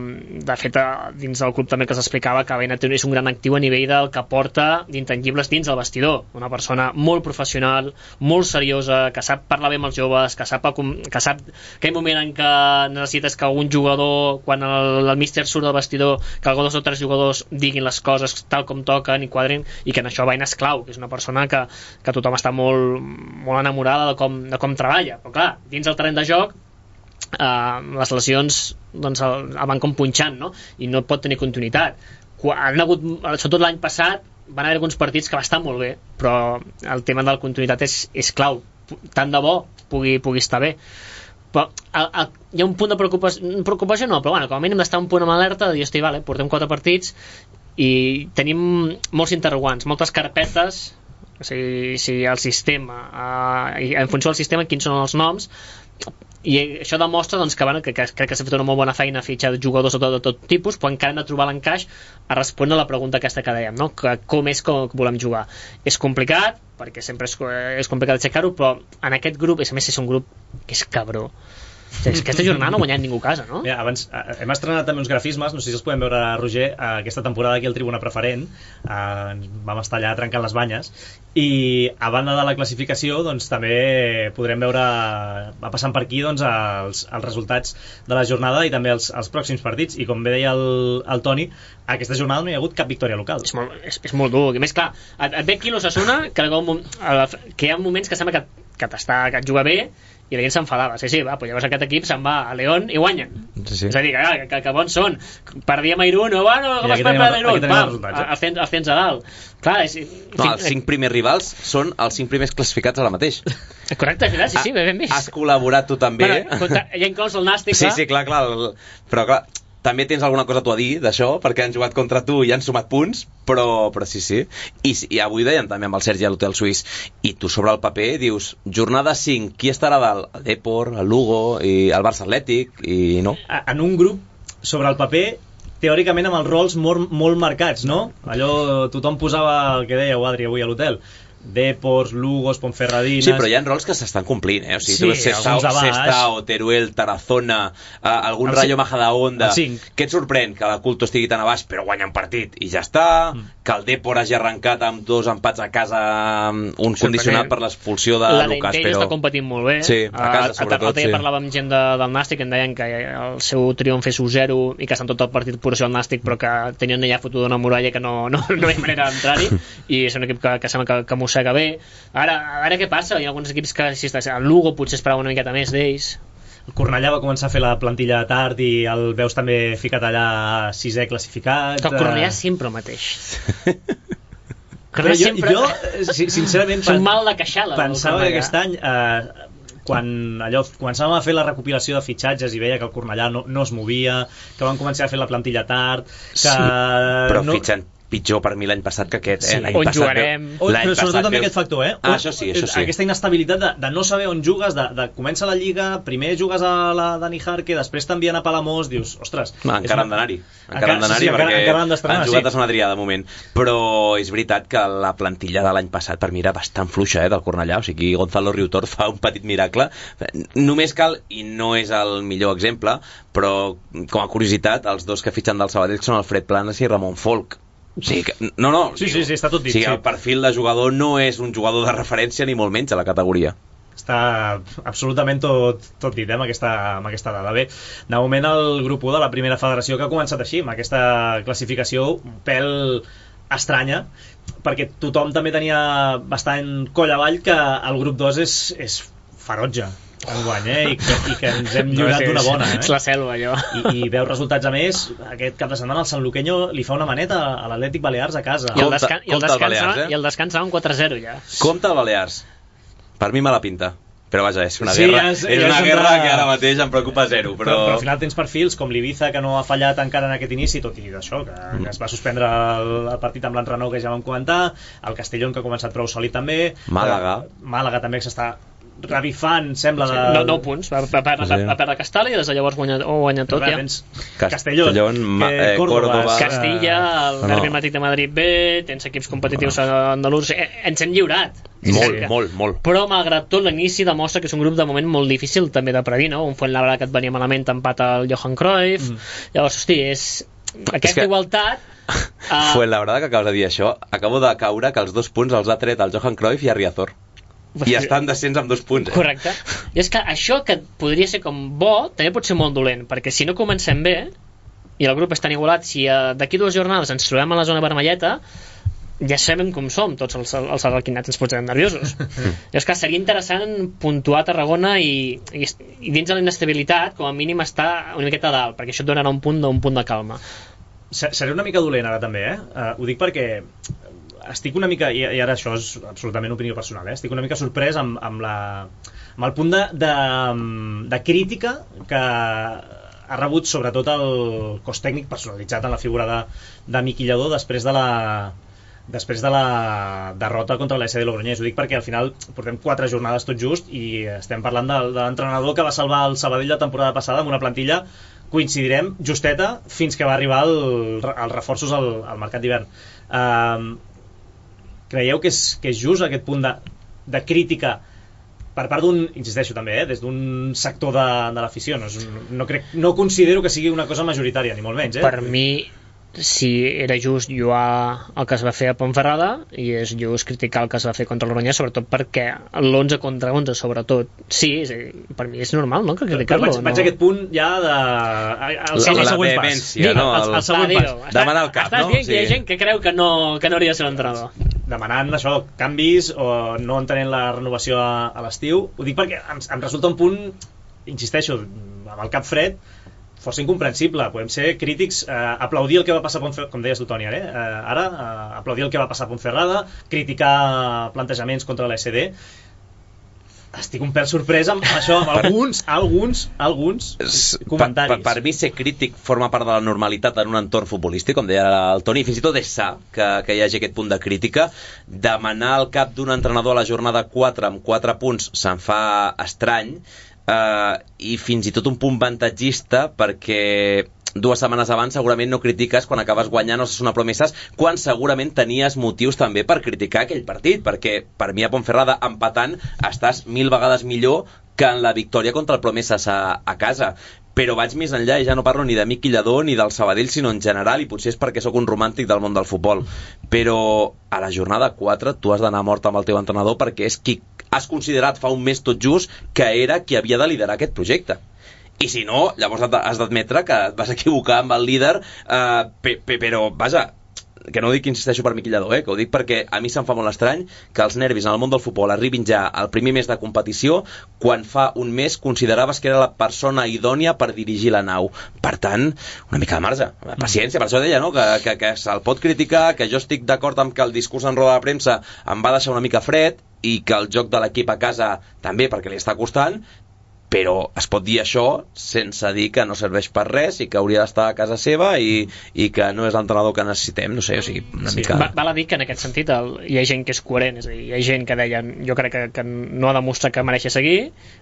de fet, dins del club també que s'explicava que Baena és un gran actiu a nivell del que porta d'intangibles dins el vestidor. Una persona molt professional, molt seriosa, que sap parlar bé amb els joves, que sap, que sap que hi ha un moment en què necessites que algun jugador, quan el, el míster surt del vestidor, que algun dos o tres jugadors diguin les coses tal com toquen i quadrin, i que en això Baena és clau, que és una persona que, que tothom està molt, molt enamorada de com, de com treballa. Però clar, dins el terreny de joc, eh, les lesions doncs el, el van com punxant, no? I no pot tenir continuïtat. Quan, han hagut, sobretot l'any passat van haver alguns partits que va estar molt bé, però el tema de la continuïtat és, és clau. Tant de bo pugui, pugui estar bé, però el, el, hi ha un punt de preocupació, preocupació no, però bueno, com a mínim d'estar un punt amb alerta de dir, hosti, vale, portem quatre partits i tenim molts interrogants, moltes carpetes. O sigui, si el sistema, eh, en funció del sistema, quins són els noms. i això demostra doncs, que, bueno, que, que crec que s'ha fet una molt bona feina a fitxar jugadors de tot, de tot tipus, però encara hem de trobar l'encaix a respondre a la pregunta aquesta que dèiem, no? Que com és que volem jugar. És complicat, perquè sempre és, és complicat aixecar-ho, però en aquest grup, a més és un grup que és cabró. Sí, aquesta jornada no ha guanyat ningú a casa, no? Mira, abans, eh, hem estrenat també uns grafismes, no sé si els podem veure, Roger, eh, aquesta temporada aquí al Tribuna Preferent, eh, vam estar allà trencant les banyes, i a banda de la classificació, doncs també podrem veure, va passant per aquí, doncs, els, els resultats de la jornada i també els, els pròxims partits, i com bé deia el, el Toni, aquesta jornada no hi ha hagut cap victòria local. És molt, és, és molt dur, i més clar, et, et ve aquí l'Osasuna, que, que hi ha moments que sembla que, que, t'està, que et juga bé, i la gent s'enfadava, sí, sí, va, pues llavors aquest equip se'n va a León i guanyen. Sí, sí. És a dir, que, que, que bons són. Perdíem a Irún, o bueno, com es pot perdre Irún? Pam, els tens, els tens a dalt. Clar, és, no, els cinc primers rivals són els cinc primers classificats ara mateix. Correcte, sí, sí, ben vist. Has col·laborat tu també. Bueno, hi ha inclòs el Nàstic, clar. Sí, sí, clar, clar. Però clar, també tens alguna cosa tu a dir d'això, perquè han jugat contra tu i han sumat punts, però, però sí, sí. I, I avui deien també amb el Sergi a l'Hotel Suís, i tu sobre el paper dius, jornada cinc, qui estarà dalt? El Depor, el Lugo, i el Barça Atlètic, i no. En un grup, sobre el paper, teòricament amb els rols molt, molt marcats, no? Allò, tothom posava el que dèieu, Adri, avui a l'hotel. Depors, Lugos, Ponferradines... Sí, però hi ha rols que s'estan complint, eh? O sigui, sí, tu ves Sestao, Sestao, Teruel, Tarazona, uh, algun Rayo Majadahonda... Què et sorprèn? Que la Culto estigui tan a baix, però guanya un partit i ja està, mm. que el Depor hagi arrencat amb dos empats a casa, un condicionat per l'expulsió de la Lucas, però... La està competint molt bé. Sí, a casa, sobretot, sí. Parlàvem amb gent de, del Nàstic, em deien que el seu triomf és u zero i que estan tot el partit puració al Nàstic, però que tenien allà fotuda una muralla que no, no, no hi ha manera d'entrar-hi, i és un equip que, que sembla que, que mossega bé. Ara, a veure què passa, hi ha alguns equips que si el Lugo potser esperava una miqueta més d'ells. El Cornellà va començar a fer la plantilla tard i el veus també ficat allà sisè classificat. Que el Cornellà sempre el mateix. Però jo, sempre... jo, sincerament, són mal de queixada. Pensava que aquest any, eh, quan allò, començàvem a fer la recopilació de fitxatges i veia que el Cornellà no, no es movia, que van començar a fer la plantilla tard, que... Sí, però no... fitxen pitjor per mi l'any passat que aquest, eh? Sí, on passat jugarem... Veu... Però sobretot també aquest factor, eh? Ah, això sí, això sí. Aquesta inestabilitat de, de no saber on jugues, de, de comença la Lliga, primer jugues a la Dani Jarque, després t'envien a Palamós, dius, ostres... No, encara han d'anar-hi, encara han d'anar-hi, perquè encara han, han jugat sí. a Sant Adrià de moment. Però és veritat que la plantilla de l'any passat per mi era bastant fluixa, eh, del Cornellà, o sigui, Gonzalo Riutor fa un petit miracle. Només cal, i no és el millor exemple, però com a curiositat, els dos que fitxen del Sabadell són Alfred Planas i Ramon Folk. Sí, que, no, no, sí, sí, sí, està tot dit. Sí, sí. El perfil de jugador no és un jugador de referència ni molt menys a la categoria. Està absolutament tot, tot dit, eh, amb aquesta, amb aquesta dada. Bé, de moment el grup u de la primera federació que ha començat així, amb aquesta classificació un pèl estranya, perquè tothom també tenia bastant coll avall que el grup dos és, és ferotge enguany, eh? I, que, i que ens hem lliurat d'una bona, eh? És la selva, allò. I, i veus resultats, a més, aquest cap de setmana el Sanluqueño li fa una maneta a l'Atlètic Balears a casa. I el, descan i el, descans, el, eh? I el descans va un quatre zero ja. Compte el Balears. Per mi me la pinta. Però vaja, és una sí, guerra, és, és una guerra que ara mateix em preocupa zero. Però... Però, però al final tens perfils com l'Ibiza, que no ha fallat encara en aquest inici, tot i d'això, que, mm. que es va suspendre el, el partit amb l'Enrenó, que ja vam comentar, el Castellón, que ha començat prou sòlid també, Màlaga, Màlaga també, que s'està revifant, sembla... De... No, nou punts, va, va, va, va, va perdre Castalla i des de llavors guanya, oh, guanya tot ja. Castellón, Castellón eh, Córdoba, Córdoba, Castilla, el Derbi Matic de Madrid B, tens equips competitius no. andalús, eh, ens hem lliurat. Molt, molt, molt. Però malgrat tot l'inici demostra que és un grup de moment molt difícil també de predir, no? Un Fuenlabrada que et venia malament empat al Johan Cruyff, mm. llavors, hosti, és... Aquesta que... igualtat... Uh... Fuenlabrada, que acabes de dir això, acabo de caure que els dos punts els ha tret el Johan Cruyff i a Riazor. I estan descens amb dos punts, eh? Correcte. I és que això que podria ser com bo també pot ser molt dolent, perquè si no comencem bé i el grup és tan igualat, si uh, d'aquí dues jornades ens trobem a la zona vermelleta, ja sabem com som tots els, els arlequinats, ens posem nerviosos. I és que seria interessant puntuar a Tarragona i, i, i dins de la inestabilitat com a mínim estar una miqueta dalt, perquè això et donarà un punt, un punt de calma. Seré una mica dolent ara també, eh? Uh, ho dic perquè estic una mica, i ara això és absolutament opinió personal, eh? Estic una mica sorprès amb, amb, la, amb el punt de, de, de crítica que ha rebut sobretot el cos tècnic personalitzat en la figura de, de Miqui Lladó després de la, després de la derrota contra l'A S D Logroñés. Ho dic perquè al final portem quatre jornades tot just i estem parlant de, de l'entrenador que va salvar el Sabadell la temporada passada amb una plantilla, coincidirem, justeta, fins que va arribar el, els reforços al, al mercat d'hivern. Uh, creieu que és, que és just aquest punt de, de crítica per part d'un, insisteixo també, eh, des d'un sector de, de l'afició? No, és, no, crec, no considero que sigui una cosa majoritària, ni molt menys. Eh? Per mi, si era just lluar el que es va fer a Ponferrada, i és just criticar el que es va fer contra el Logroñés, sobretot perquè l'onze contra onze, sobretot, sí, és, per mi és normal, no?, que criticar-lo. Vaig, vaig no? a aquest punt ja de... El, la, el la següent pas. vehemència, no? El, el, el següent Va, pas. Demanar el cap, estàs no? dient Sí. que hi ha gent que creu que no, que no hauria de ser l'entrenador. Demanant això, canvis o no entenent la renovació a, a l'estiu. Ho dic perquè em, em resulta un punt, insisteixo, amb el cap fred, força incomprensible. Podem ser crítics, eh, aplaudir el que va passar a Ponferrada, com deies tu, Toni, eh? Eh, ara, eh, aplaudir el que va passar a Ponferrada, criticar plantejaments contra l'A S D. Estic un pèl sorprès amb això, amb alguns, alguns, alguns comentaris. Per, per, per mi ser crític forma part de la normalitat en un entorn futbolístic, com deia el Toni, fins i tot és sa que, que hi hagi aquest punt de crítica. Demanar el cap d'un entrenador a la jornada quatre amb quatre punts se'n fa estrany, eh, i fins i tot un punt avantatgista, perquè dues setmanes abans segurament no critiques quan acabes guanyant Osasuna Promesas, quan segurament tenies motius també per criticar aquell partit, perquè per mi a Ponferrada empatant estàs mil vegades millor que en la victòria contra el Promesas a, a casa. Però vaig més enllà i ja no parlo ni de Miqui Lladó ni del Sabadell, sinó en general, i potser és perquè sóc un romàntic del món del futbol, però a la jornada quatre tu has d'anar mort amb el teu entrenador, perquè és qui has considerat fa un mes tot just que era qui havia de liderar aquest projecte. I si no, llavors has d'admetre que et vas equivocar amb el líder, eh, pe, pe, però, vaja, que no ho dic, insisteixo, per Miqui Lladó, eh, que ho dic perquè a mi se'm fa molt estrany que els nervis en el món del futbol arribin ja al primer mes de competició, quan fa un mes consideraves que era la persona idònia per dirigir la nau. Per tant, una mica de marge, paciència, per això deia, no?, que, que, que se'l pot criticar, que jo estic d'acord amb que el discurs en roda de premsa em va deixar una mica fred, i que el joc de l'equip a casa també, perquè li està costant, però es pot dir això sense dir que no serveix per res i que hauria d'estar a casa seva i, i que no és l'entrenador que necessitem, no sé, o sigui, una sí, mica... Va, val a dir que en aquest sentit el, hi ha gent que és coherent, és a dir, hi ha gent que deien, jo crec que, que no ha demostrat que mereixi seguir,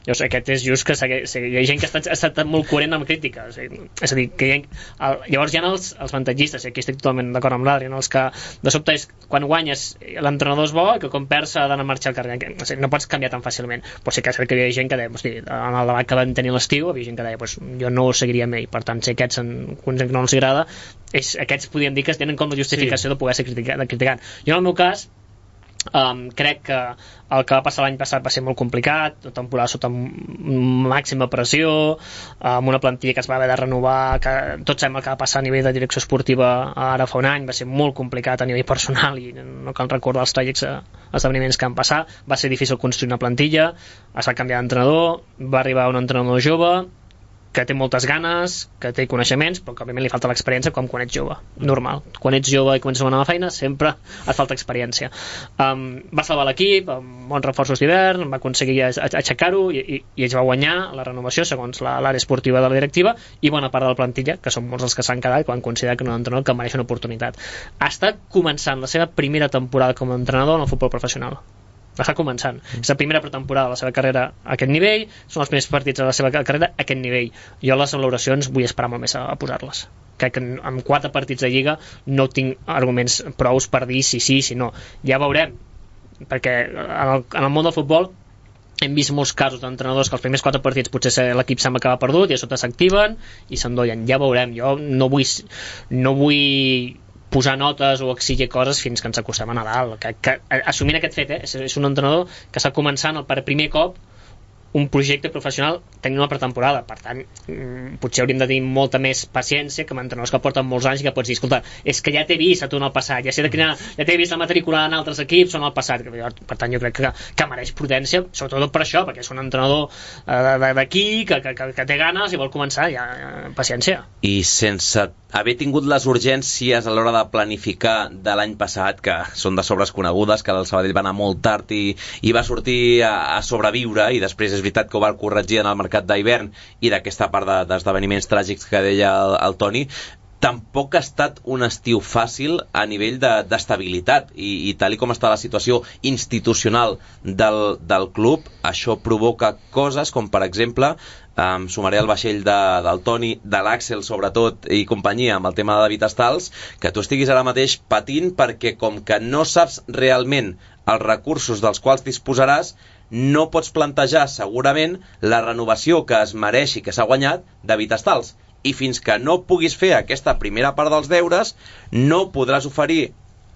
llavors aquest és just que segui, segui, hi ha gent que ha estat, ha estat molt coherent amb crítica, és a dir, és a dir que hi ha, el, llavors hi ha els, els avantatgistes, i aquí estic totalment d'acord amb l'Adri, no? Els que de sobte és, quan guanyes l'entrenador és bo i que quan perds ha d'anar a marxar al carrer, no, sé, no pots canviar tan fàcilment, però sí que, que hi ha gent que deia, hosti, en el debat que van tenir l'estiu, havia gent que deia, pues, jo no ho seguiria mai, per tant, si aquests en, que no els agrada, és, aquests podríem dir que es tenen com la justificació sí. de poder ser criticat, de criticant. Jo en el meu cas um, crec que el que va passar l'any passat va ser molt complicat, la temporada sota màxima pressió, amb una plantilla que es va haver de renovar, que tots sabem el que va passar a nivell de direcció esportiva ara fa un any, va ser molt complicat a nivell personal i no cal recordar els tràgics esdeveniments que han passat, va ser difícil construir una plantilla, es va canviar d'entrenador, va arribar un entrenador jove que té moltes ganes, que té coneixements, però que òbviament li falta l'experiència com quan ets jove, normal. Quan ets jove i comences una nova feina, sempre et falta experiència. Um, va salvar l'equip amb bons reforços d'hivern, va aconseguir aixecar-ho i, i, i ells va guanyar la renovació segons l'àrea esportiva de la directiva i bona part de la plantilla, que són molts els que s'han quedat quan consideren que no és un entrenador que mereix una oportunitat. Està començant la seva primera temporada com a entrenador en el futbol professional. Està començant. Mm. És la primera pretemporada de la seva carrera a aquest nivell, són els primers partits de la seva carrera a aquest nivell. Jo les valoracions vull esperar molt més a, a posar-les. Crec que amb quatre partits de Lliga no tinc arguments prous per dir si sí, si no. Ja veurem, perquè en el, en el món del futbol hem vist molts casos d'entrenadors que els primers quatre partits potser l'equip sembla que va perdut i a sota s'activen i s'endollen. Ja veurem. Jo no vull... No vull posar notes o exigir coses fins que ens acostem a Nadal, que, que assumint aquest fet, eh, és, és un entrenador que està començant el, per primer cop un projecte professional tenint una pretemporada, per tant potser hauríem de tenir molta més paciència que amb entrenadors que porten molts anys i que pots dir, escolta, és que ja t'he vist a tu en el passat, ja sé de quina, ja t'he vist a matricular en altres equips o en el passat, per tant jo crec que, que mereix prudència, sobretot per això, perquè és un entrenador eh, d'aquí que, que, que, que té ganes i vol començar, ja, paciència. I sense haver tingut les urgències a l'hora de planificar de l'any passat, que són de sobres conegudes, que el Sabadell va anar molt tard i, i va sortir a, a sobreviure, i després és veritat que ho va corregir en el mercat d'hivern i d'aquesta part de, d'esdeveniments tràgics que deia el, el Toni, tampoc ha estat un estiu fàcil a nivell d'estabilitat de, i, i tal i com està la situació institucional del, del club, això provoca coses com per exemple em sumaré al vaixell de, del Toni, de l'Àxel sobretot i companyia amb el tema de David Estals, que tu estiguis ara mateix patint perquè com que no saps realment els recursos dels quals disposaràs, no pots plantejar segurament la renovació que es mereix i que s'ha guanyat David Estals. I fins que no puguis fer aquesta primera part dels deures, no podràs oferir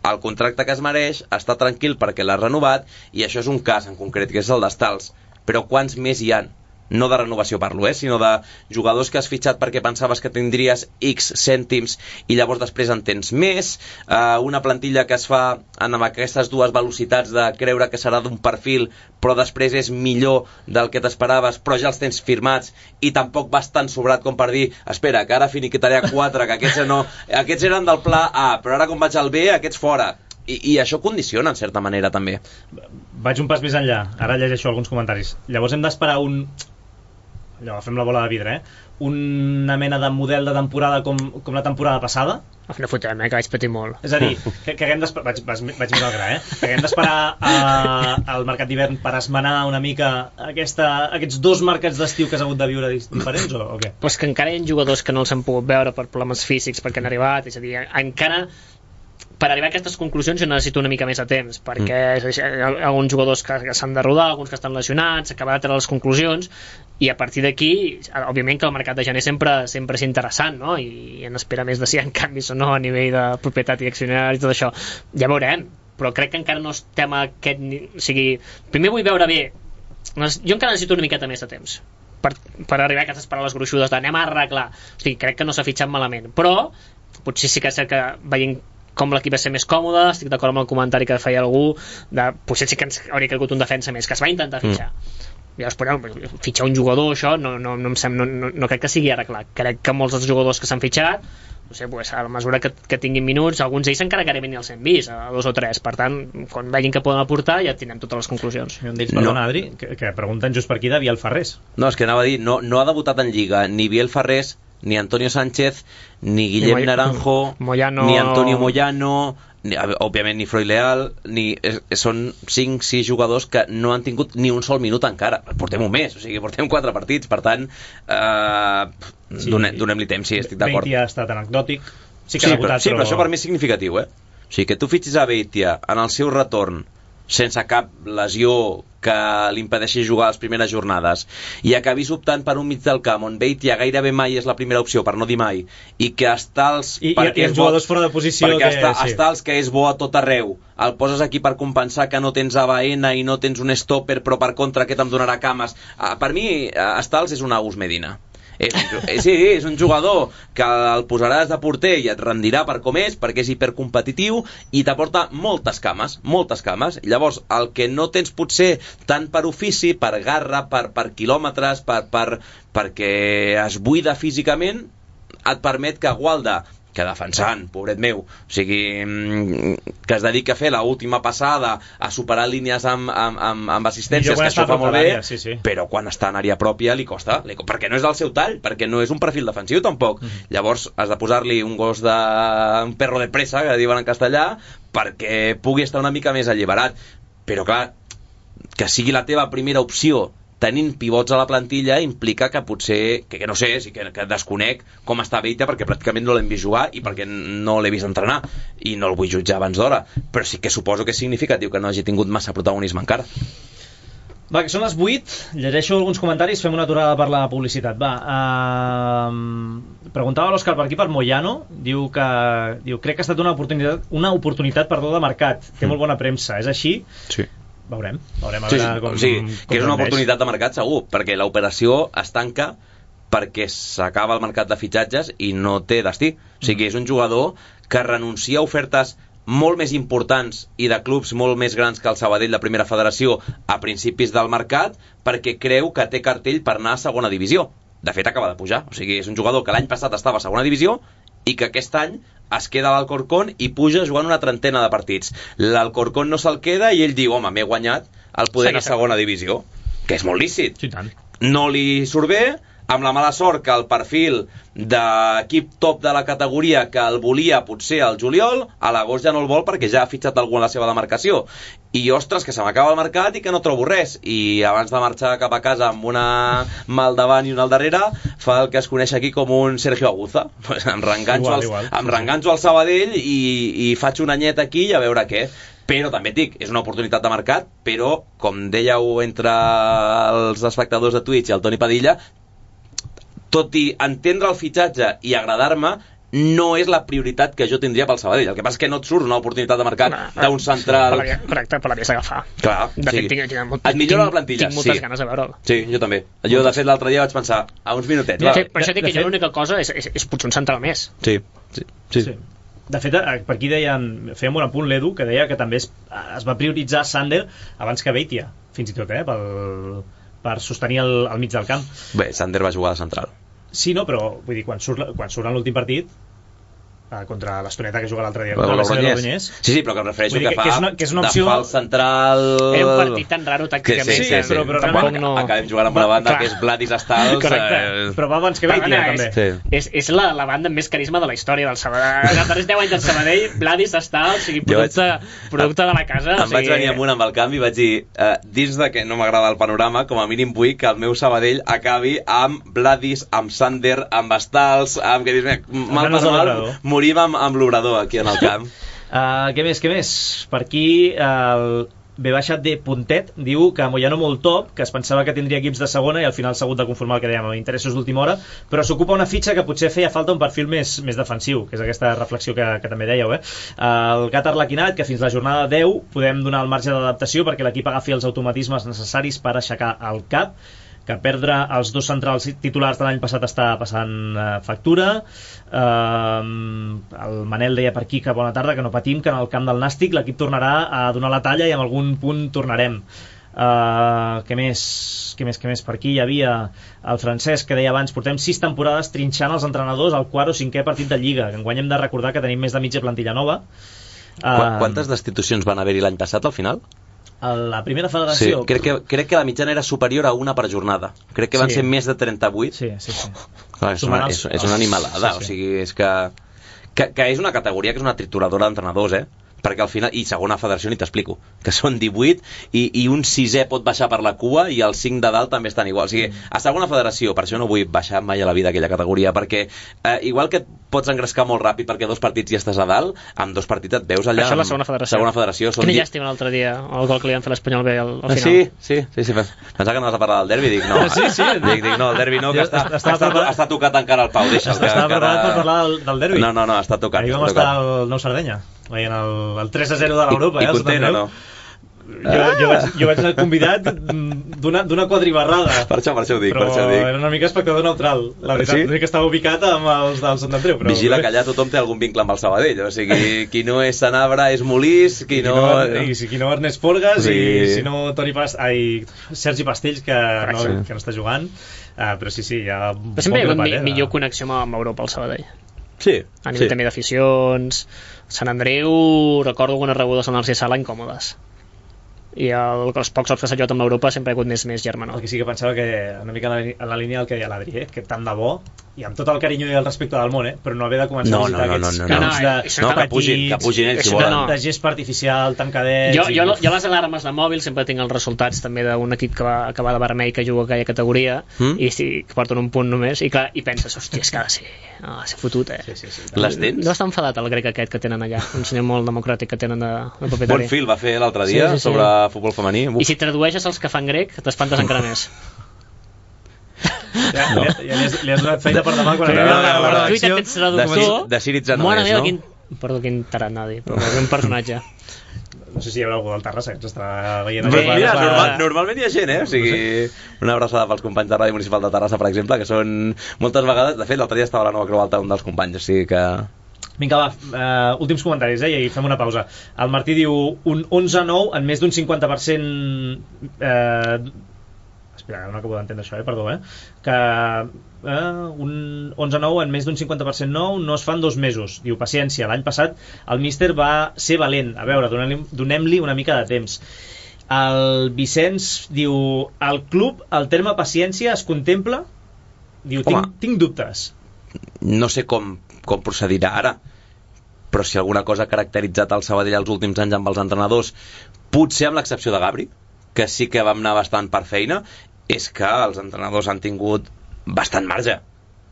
el contracte que es mereix, estar tranquil perquè l'has renovat, i això és un cas en concret, que és el d'Estals. Però quants més hi han? No de renovació parlo, eh? Sinó de jugadors que has fitxat perquè pensaves que tindries X cèntims i llavors després en tens més, uh, una plantilla que es fa amb aquestes dues velocitats de creure que serà d'un perfil però després és millor del que t'esperaves, però ja els tens firmats i tampoc vas tan sobrat com per dir espera, que ara finiquitaré a quatre, que aquests, no, aquests eren del pla A, però ara com vaig al B, aquests fora. I, i això condiciona en certa manera també. Vaig un pas més enllà, ara llegeixo alguns comentaris. Llavors hem d'esperar un... allò, agafem la bola de vidre, eh? Una mena de model de temporada com, com la temporada passada. No fotem, eh, que vaig patir molt. És a dir, que, que haguem d'esperar... Vaig, vaig, vaig mirar el gra, eh? Que haguem d'esperar al mercat d'hivern per esmenar una mica aquesta, aquests dos mercats d'estiu que has hagut de viure diferents, o, o què? Pues que encara hi ha jugadors que no els hem pogut veure per problemes físics, perquè han arribat, és a dir, encara... Per arribar a aquestes conclusions jo necessito una mica més de temps, perquè mm. hi ha alguns jugadors que, que s'han de rodar, alguns que estan lesionats, acabar de treure les conclusions, i a partir d'aquí, òbviament que el mercat de gener sempre, sempre és interessant, no? I en espera més de si hi ha canvis o no a nivell de propietat i accionaris i tot això. Ja veurem, però crec que encara no estem a aquest... O sigui, primer vull veure bé... Jo encara necessito una miqueta més de temps per, per arribar a aquestes paraules gruixudes d'anem a arreglar. O sigui, crec que no s'ha fitxat malament, però potser sí que és cert que veient com l'equip va ser més còmode, estic d'acord amb el comentari que feia algú, de, potser sí que ens hauria calgut un defensa més, que es va intentar fitxar. Mm. Llavors, però, fitxar un jugador, això, no, no, no, em sem, no, no, no crec que sigui arreglat. Crec que molts dels jugadors que s'han fitxat, no sé, pues, a la mesura que, que tinguin minuts, alguns d'ells encara gairebé ni els hem vist, a dos o tres. Per tant, quan vegin que poden aportar, ja tindrem totes les conclusions. I on d'ells, perdona, no. Adri, que, que pregunten just per aquí de Biel Ferrés. No, és que anava a dir, no, no ha debutat en Lliga ni Biel Ferrés, ni Antonio Sánchez, ni Guillem ni Naranjo, Moyano... ni Antonio Moyano, ni, òbviament ni Freud Leal, ni, eh, són cinc sis jugadors que no han tingut ni un sol minut encara. Portem un mes, o sigui, portem quatre partits, per tant, eh, sí, donem, donem-li temps, sí, estic d'acord. Beitia ha estat anecdòtic. Sí, que sí, ha debutat, però, sí, però... però això per mi és significatiu, eh? O sigui, que tu fitxis a Beitia en el seu retorn sense cap lesió que li impedeixi jugar les primeres jornades i acabis optant per un mig del camp on Beitia gairebé mai és la primera opció, per no dir mai, i que Estals I, i els jugadors fora de posició perquè que, està, sí. Estals que és bo a tot arreu, el poses aquí per compensar que no tens A B N i no tens un stopper, però per contra aquest em donarà cames. Per mi Estals és un Agus Medina. És, sí, és un jugador que el posaràs de porter i et rendirà per com és, perquè és hipercompetitiu i t'aporta moltes cames, moltes cames. Llavors, el que no tens potser tant per ofici, per garra, per, per quilòmetres, per, per, perquè es buida físicament, et permet que Gualda, que defensant, pobret meu, o sigui, que es dedica a fer l'última passada, a superar línies amb, amb, amb, amb assistències, que això fa molt bé, sí, sí. però quan està en àrea pròpia li costa, li, perquè no és del seu tall, perquè no és un perfil defensiu tampoc. Mm. Llavors has de posar-li un gos de... un perro de pressa, que diuen en castellà, perquè pugui estar una mica més alliberat. Però clar, que sigui la teva primera opció tenint pivots a la plantilla implica que potser, que, que no sé, sí que, que desconec com està Beitia, perquè pràcticament no l'hem vist jugar i perquè no l'he vist entrenar i no el vull jutjar abans d'hora, però sí que suposo que és significatiu que no hagi tingut massa protagonisme encara. Va, que són les vuit, llegeixo alguns comentaris, fem una aturada per la publicitat. Va, uh, preguntava l'Òscar per aquí per Moyano, diu que diu, crec que ha estat una oportunitat, una oportunitat perdó, de mercat, té mm. molt bona premsa, és així? Sí. Veurem, veurem a sí, veure com, sí, com que és una oportunitat de mercat segur, perquè l'operació es tanca perquè s'acaba el mercat de fitxatges i no té destí. O sigui, és un jugador que renuncia a ofertes molt més importants i de clubs molt més grans que el Sabadell de Primera Federació a principis del mercat perquè creu que té cartell per anar a segona divisió. De fet, acaba de pujar. O sigui, és un jugador que l'any passat estava a segona divisió i que aquest any es queda a l'Alcorcón i puja jugant una trentena de partits. L'Alcorcón no se'l queda i ell diu, home, m'he guanyat el poder sí, a segona divisió, que és molt lícit. Sí, tant. No li surt bé, amb la mala sort que el perfil d'equip top de la categoria que el volia potser al juliol, a l'agost ja no el vol perquè ja ha fitxat algú en la seva demarcació. I, ostres, que se m'acaba el mercat i que no trobo res. I abans de marxar cap a casa amb una mà al davant i una al darrere, fa el que es coneix aquí com un Sergio Aguza. Pues em reenganxo al, em reenganxo al Sabadell i, i faig un anyet aquí i a veure què. Però també et dic, és una oportunitat de mercat, però, com dèieu entre els espectadors de Twitch i el Toni Padilla, tot i entendre el fitxatge i agradar-me, no és la prioritat que jo tindria pel Sabadell. El que passa és que no et surt una oportunitat de mercat no, d'un central... Sí, correcte, però l'havies d'agafar. Clar, de sí. fet, tinc, tinc, molt, et millora la plantilla, tinc moltes sí. ganes de veure'l. Sí, jo també. Jo, de fet, l'altre dia vaig pensar, a uns minutets. De fet, per això dic de que jo fet... l'única cosa és, és, és potser un central més. Sí, sí, sí. sí. De fet, per aquí deien, fèiem un apunt l'Edu, que deia que també es, es va prioritzar Sander abans que Beitia, fins i tot, eh, pel, per sostenir el, el mig del camp. Bé, Sander va jugar de central. Sí, no, però vull dir, quan surt, quan surt en l'últim partit, contra l'Estoneta que juga l'altre dia contra la Logroñés. Sí, sí, però que em refereixo que, que, fa que és una, que és una opció... de fals central... Era un partit tan raro tàcticament. Sí, sí, sí, sí. però, però tampoc no... Acabem jugant amb una banda que és Vladis Astals. Correcte, eh... però va abans que Beitia, també. És, sí. és, és la, la banda amb més carisma de la història del Sabadell. Els darrers deu anys del Sabadell, Vladis Astals, o sigui, producte, vaig... producte de la casa. Em o sigui... vaig venir amunt amb el canvi i vaig dir, eh, dins de que no m'agrada el panorama, com a mínim vull que el meu Sabadell acabi amb Vladis, amb Sander, amb Astals, amb... que dius, mal per mal, morim amb, amb l'obrador aquí en el camp. uh, què més, què més? Per aquí el B baixat de Puntet diu que Moyano molt top, que es pensava que tindria equips de segona i al final s'ha hagut de conformar el que dèiem, amb interessos d'última hora, però s'ocupa una fitxa que potser feia falta un perfil més, més defensiu, que és aquesta reflexió que, que també dèieu, eh? El gat arlequinat, que fins la jornada deu podem donar el marge d'adaptació perquè l'equip agafi els automatismes necessaris per aixecar el cap, que perdre els dos centrals titulars de l'any passat està passant eh, factura. eh, el Manel deia per aquí que bona tarda, que no patim, que en el camp del Nàstic l'equip tornarà a donar la talla i en algun punt tornarem. Uh, què més? Què més, què més? Per aquí hi havia el Francesc que deia abans, portem sis temporades trinxant els entrenadors al quart o cinquè partit de Lliga, que enguany hem de recordar que tenim més de mitja plantilla nova. uh, Quantes destitucions van haver-hi l'any passat al final? A la primera federació... Sí, crec que, crec que la mitjana era superior a una per jornada. Crec que van sí. ser més de trenta-vuit. Sí, sí, sí. Clar, és, una, és, és una animalada, sí, sí. O sigui, és que, que... Que és una categoria que és una trituradora d'entrenadors, eh? Perquè al final, i segona federació ni t'explico, que són divuit i, i un sisè pot baixar per la cua i els cinc de dalt també estan igual. O sigui, a segona federació, per això no vull baixar mai a la vida aquella categoria, perquè eh, igual que pots engrescar molt ràpid perquè dos partits ja estàs a dalt, amb dos partits et veus allà. Això és la segona federació. Segona federació són Quina llàstima l'altre dia, el gol que li van fer l'Espanyol B al, al final. Sí, sí, sí, sí. Pensava que anaves a parlar del derbi, dic no. Sí, sí. Dic, dic no, el derbi no, que està, està, està, està tocat encara el Pau, deixa'l. Estava preparat per parlar del, del derbi. No, no, no, està tocat. Ahir vam estar al Nou Sardenya, veient el, el tres a zero de l'Europa. I, i content o no? Jo, jo, vaig, jo vaig anar convidat d'una quadribarrada. Per això, per això ho dic, però per això ho dic. Era una mica espectador neutral. La veritat, sí? L'únic que estava ubicat amb els del Sant Andreu. Però... Vigila que allà tothom té algun vincle amb el Sabadell. O sigui, qui no és Sanabra és Molís, qui, qui no... no... I si qui no Ernest Forgas, sí. I si no Toni Past... Ai, Sergi Pastells, que no, sí. que no està jugant. Uh, però sí, sí, hi ha... Però sempre hi ha hagut eh, millor de... connexió amb Europa al Sabadell. Sí. A nivell sí. també d'aficions. Sant Andreu, recordo algunes rebudes en el C Sala incòmodes. I el, els pocs cops que s'ha jugat amb l'Europa sempre ha hagut més, més germanor. El que sí que pensava que una mica en la, en la línia del que deia l'Adri, eh? Que tant de bo, i amb tot el carinyo i el respecte del món, eh? Però no haver de començar no, a visitar no, no, aquests no, no, camps no, de, no, que pugin, que pugin ells si volen. De gespa artificial, tan cadets... Jo, jo, i... jo les alarmes de mòbil sempre tinc els resultats també d'un equip que va acabar de vermell que juga a aquella categoria mm? i sí, que porten un punt només i, clar, i penses, hòstia, és que ha de ser, ha de ser fotut, eh? Sí, sí, sí, les tens? No està enfadat el grec aquest que tenen allà, un senyor molt democràtic que tenen de, de propietari. Bon fil va fer l'altre dia sí, sí, sí. sobre futbol femení. Uf. I si tradueixes els que fan grec, t'espantes encara més. Ja, no. ja, ja li, has, li has donat feina per demà quan sí, arriba no, a la redacció de, de Síriza no és, no? Quin, perdó, quin taranadi, però un personatge. No sé si hi haurà algú del Terrassa que ens estarà veient. Bé, mira, normal, normalment hi ha gent, eh? O sigui, una abraçada pels companys de Ràdio Municipal de Terrassa, per exemple, que són moltes vegades, de fet, l'altre dia estava a la Nova Creu Alta un dels companys, o sigui que... Vinga, va, uh, últims comentaris, eh, i fem una pausa. El Martí diu un onze a nou en més d'un cinquanta per cent... Eh, espera, no acabo d'entendre això, eh? Perdó, eh? Que eh, un onze a nou en més d'un cinquanta per cent nou no es fan dos mesos. Diu, paciència, l'any passat el míster va ser valent. A veure, donem-li donem-li una mica de temps. El Vicenç diu, al club el terme paciència es contempla diu, tinc, tinc dubtes. No sé com, com procedirà ara, però si alguna cosa ha caracteritzat el Sabadell els últims anys amb els entrenadors, potser amb l'excepció de Gabri, que sí que vam anar bastant per feina, és que els entrenadors han tingut bastant marge.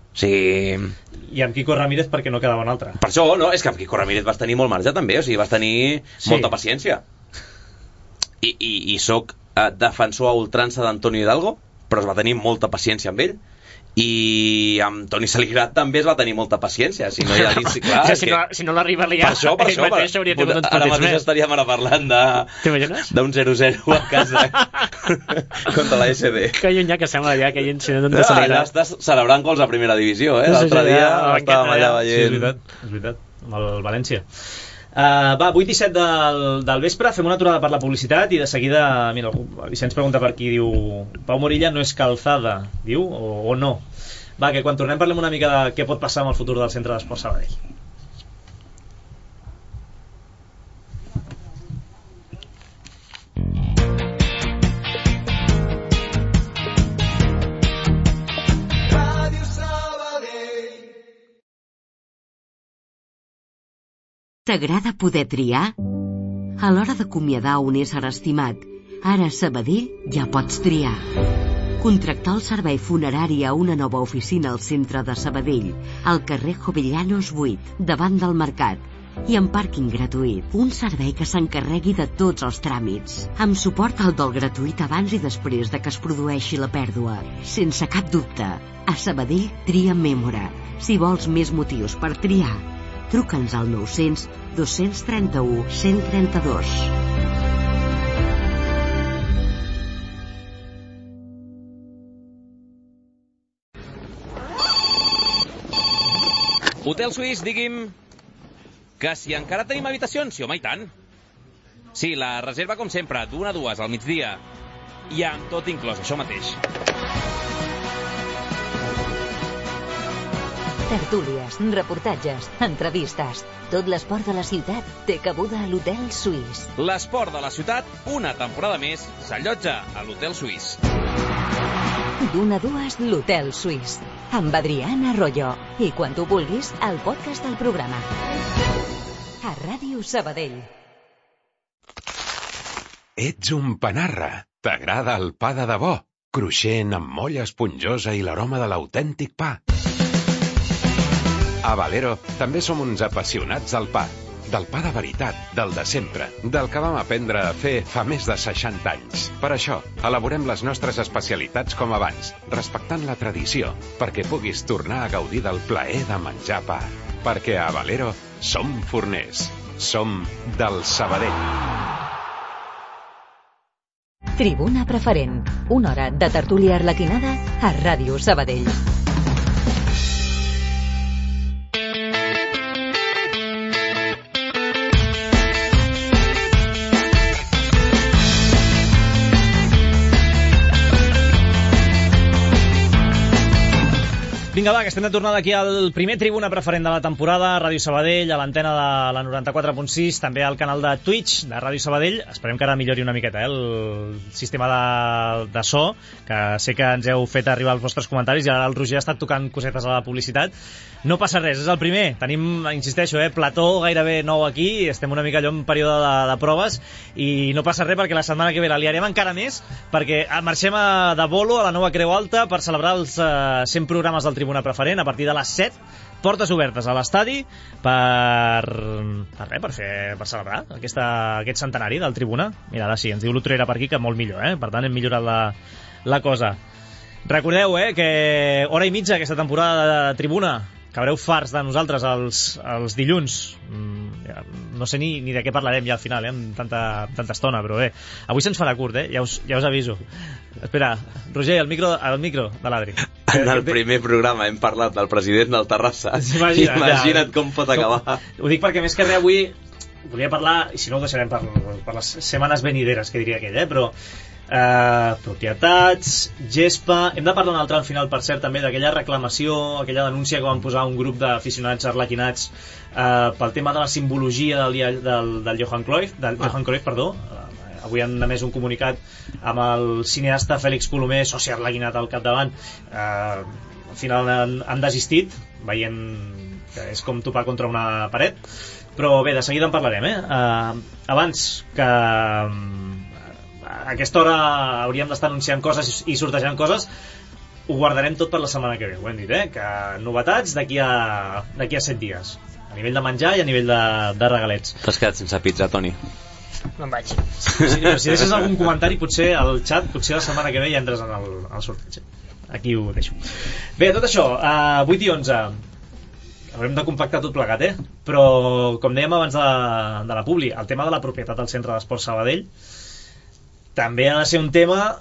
O sigui... I amb Quico Ramírez perquè no quedava un altre. Per això, no, és que amb Quico Ramírez vas tenir molt marge també, o sigui, vas tenir sí. molta paciència. I, i, i soc eh, defensor a ultrança d'Antonio Hidalgo, però es va tenir molta paciència amb ell. I amb Toni Saligrat també es va tenir molta paciència, si no hi ha dit, clar, o sigui, si, no, si no l'arriba a liar, per això, per això, per, per, ara mateix més. Estaríem ara parlant de d'un zero zero a casa contra la S D. Que llunyà que sembla ja aquell incident de Saligrat. Allà estàs celebrant gols a primera divisió, eh? L'altre dia estàvem allà veient. Sí, és veritat, és veritat, amb el València. Uh, va, vuit i set del, del vespre, fem una aturada per la publicitat i de seguida, mira, el Vicenç pregunta per aquí, diu, Pau Morilla no és calzada, diu, o, o no? Va, que quan tornem parlem una mica de què pot passar amb el futur del Centre d'Esports Sabadell. T'agrada poder triar? A l'hora d'acomiadar un ésser estimat, ara a Sabadell ja pots triar. Contractar el servei funerari a una nova oficina al centre de Sabadell, al carrer Jovellanos vuit, davant del mercat, i amb pàrquing gratuït. Un servei que s'encarregui de tots els tràmits, amb suport al dol gratuït abans i després de que es produeixi la pèrdua. Sense cap dubte, a Sabadell tria Mémora. Si vols més motius per triar, truca'ns al nou-cents dos-cents trenta-u cent trenta-dos. Hotel Suís, digui'm... Que si encara tenim habitacions? Sí, home, i tant. Sí, la reserva com sempre, d'una a dues al migdia. I amb tot inclòs, això mateix. Tertúlies, reportatges, entrevistes. Tot l'esport de la ciutat té cabuda a l'Hotel Suís. L'esport de la ciutat, una temporada més, s'allotja a l'Hotel Suís. D'una a dues, l'Hotel Suís. Amb Adriana Arroyo. I quan tu vulguis, el podcast del programa. A Ràdio Sabadell. Ets un panarra. T'agrada el pa de debò? Cruixent, amb molla esponjosa i l'aroma de l'autèntic pa. A Valero també som uns apassionats del pa. Del pa de veritat, del de sempre, del que vam aprendre a fer fa més de seixanta anys. Per això, elaborem les nostres especialitats com abans, respectant la tradició, perquè puguis tornar a gaudir del plaer de menjar pa. Perquè a Valero som forners. Som del Sabadell. Tribuna Preferent. Una hora de tertúlia arlequinada a Ràdio Sabadell. Vinga, va, que estem de tornada aquí al primer Tribuna Preferent de la temporada, Ràdio Sabadell, a l'antena de la noranta-quatre punt sis, també al canal de Twitch de Ràdio Sabadell. Esperem que ara millori una miqueta, eh, el sistema de, de so, que sé que ens heu fet arribar els vostres comentaris i ara el Roger ha estat tocant cosetes a la publicitat. No passa res, és el primer. Tenim, insisteixo, eh, plató gairebé nou aquí, estem una mica allò en període de, de proves i no passa res perquè la setmana que ve la liarem encara més perquè marxem a, de bolo a la nova Creu Alta per celebrar els eh, cent programes del Tribuna Preferent a partir de les set, portes obertes a l'estadi per per res, per fer per celebrar aquesta, aquest centenari del Tribuna. Mira, ara sí, ens diu l'Utrera per aquí que molt millor, eh? Per tant hem millorat la, la cosa. Recordeu, eh, que hora i mitja aquesta temporada de Tribuna, que haureu farts de nosaltres els, els dilluns. Mm, ja, no sé ni, ni de què parlarem ja al final, eh, amb tanta, tanta estona, però bé, avui se'ns farà curt, eh? Ja us, ja us aviso. Espera, Roger, el micro, el micro de l'Adri. En el primer programa hem parlat del president del Terrassa. Imagina't, Imagina't ja, com pot acabar. Ho dic perquè més que res avui volia parlar, i si no ho deixarem per, per les setmanes venideres, que diria aquell, eh? Però Uh, propietats, gespa. Hem de parlar un altre al final, per cert, també d'aquella reclamació, aquella denúncia que van posar un grup d'aficionats arlequinats uh, pel tema de la simbologia del, del, del Johan Cruyff, del ah. Johan Cruyff, perdó. Uh, avui han emès un comunicat amb el cineasta Fèlix Colomer, soci arlequinat al capdavant, uh, al final han, han desistit, veient que és com topar contra una paret. Però bé, de seguida en parlarem, eh? Uh, abans que uh, a aquesta hora hauríem d'estar anunciant coses i sortejant coses, ho guardarem tot per la setmana que ve, ho hem dit, eh? Que novetats d'aquí a, d'aquí a set dies, a nivell de menjar i a nivell de, de regalets. T'has quedat sense pizza, Toni? Me'n vaig. Si, si deixes algun comentari, potser al xat, potser la setmana que ve ja entres en el, en el sorteig. Aquí ho deixo. Bé, tot això, a vuit i onze haurem de compactar tot plegat, eh? Però, com dèiem abans de, de la publi, el tema de la propietat del Centre d'Esports Sabadell també ha de ser un tema,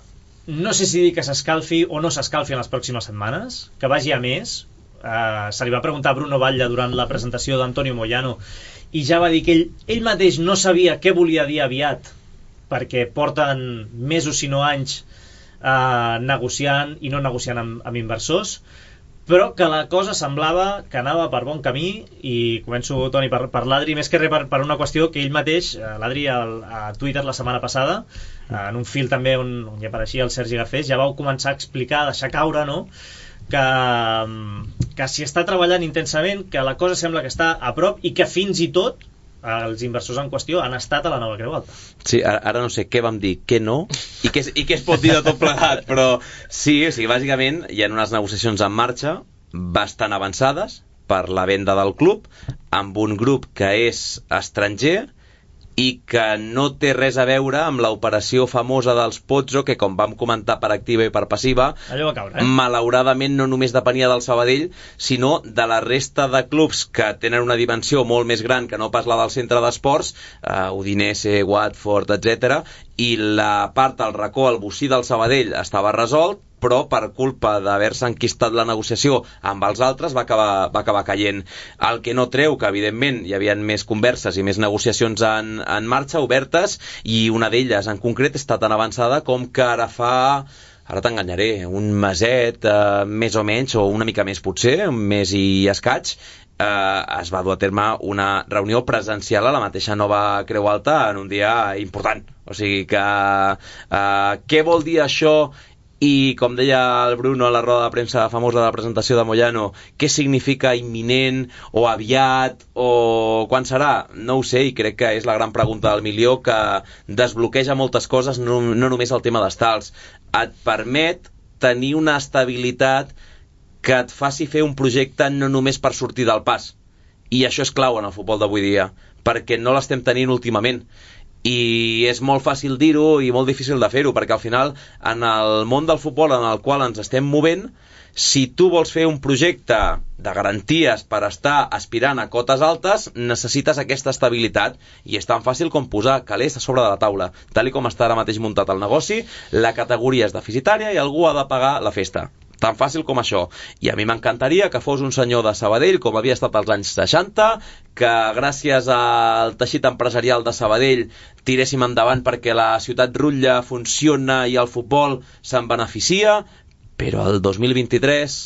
no sé si dir que s'escalfi o no s'escalfi en les pròximes setmanes, que vagi a més. Uh, se li va preguntar a Bruno Batlle durant la presentació d'Antonio Moyano i ja va dir que ell, ell mateix no sabia què volia dir aviat, perquè porten mesos si no anys uh, negociant i no negociant amb, amb inversors, però que la cosa semblava que anava per bon camí. I començo, Toni, per, per l'Adri, més que res per, per una qüestió que ell mateix, l'Adri al, a Twitter la setmana passada, en un fil també on, on hi apareixia el Sergi Garcés, ja vau començar a explicar, a deixar caure, no?, que, que s'hi està treballant intensament, que la cosa sembla que està a prop i que fins i tot els inversors en qüestió han estat a la Nova Creu Alta. Sí, ara, ara no sé què vam dir, què no, i què, i què es pot dir de tot plegat, però sí, o sigui, bàsicament hi ha unes negociacions en marxa bastant avançades per la venda del club amb un grup que és estranger i que no té res a veure amb l'operació famosa dels Pozzo, que com vam comentar per activa i per passiva, allò va caure, eh? malauradament no només depenia del Sabadell, sinó de la resta de clubs que tenen una dimensió molt més gran que no pas la del centre d'esports, uh, Udinese, Watford, etcètera, i la part del racó, el bocí del Sabadell estava resolt, però per culpa d'haver-se enquistat la negociació amb els altres va acabar, va acabar caient. El que no treu que, evidentment, hi havia més converses i més negociacions en, en marxa, obertes, i una d'elles en concret està tan avançada com que ara fa, ara t'enganyaré, un meset, eh, més o menys, o una mica més potser, un mes i escaig, eh, es va dur a terme una reunió presencial a la mateixa Nova Creu Alta en un dia important. O sigui que, eh, què vol dir això? I, com deia el Bruno a la roda de premsa famosa de la presentació de Moyano, què significa imminent o aviat o quan serà? No ho sé, i crec que és la gran pregunta del milió, que desbloqueja moltes coses, no, no només el tema d'estals. Et permet tenir una estabilitat que et faci fer un projecte no només per sortir del pas. I això és clau en el futbol d'avui dia, perquè no l'estem tenint últimament. I és molt fàcil dir-ho i molt difícil de fer-ho, perquè al final en el món del futbol en el qual ens estem movent, si tu vols fer un projecte de garanties per estar aspirant a cotes altes, necessites aquesta estabilitat, i és tan fàcil com posar calés a sobre de la taula. Tal com està ara mateix muntat el negoci, la categoria és deficitària i algú ha de pagar la festa. Tan fàcil com això. I a mi m'encantaria que fos un senyor de Sabadell, com havia estat als anys seixanta, que gràcies al teixit empresarial de Sabadell tiréssim endavant perquè la ciutat rutlla, funciona i el futbol se'n beneficia, però el dos mil vint-i-tres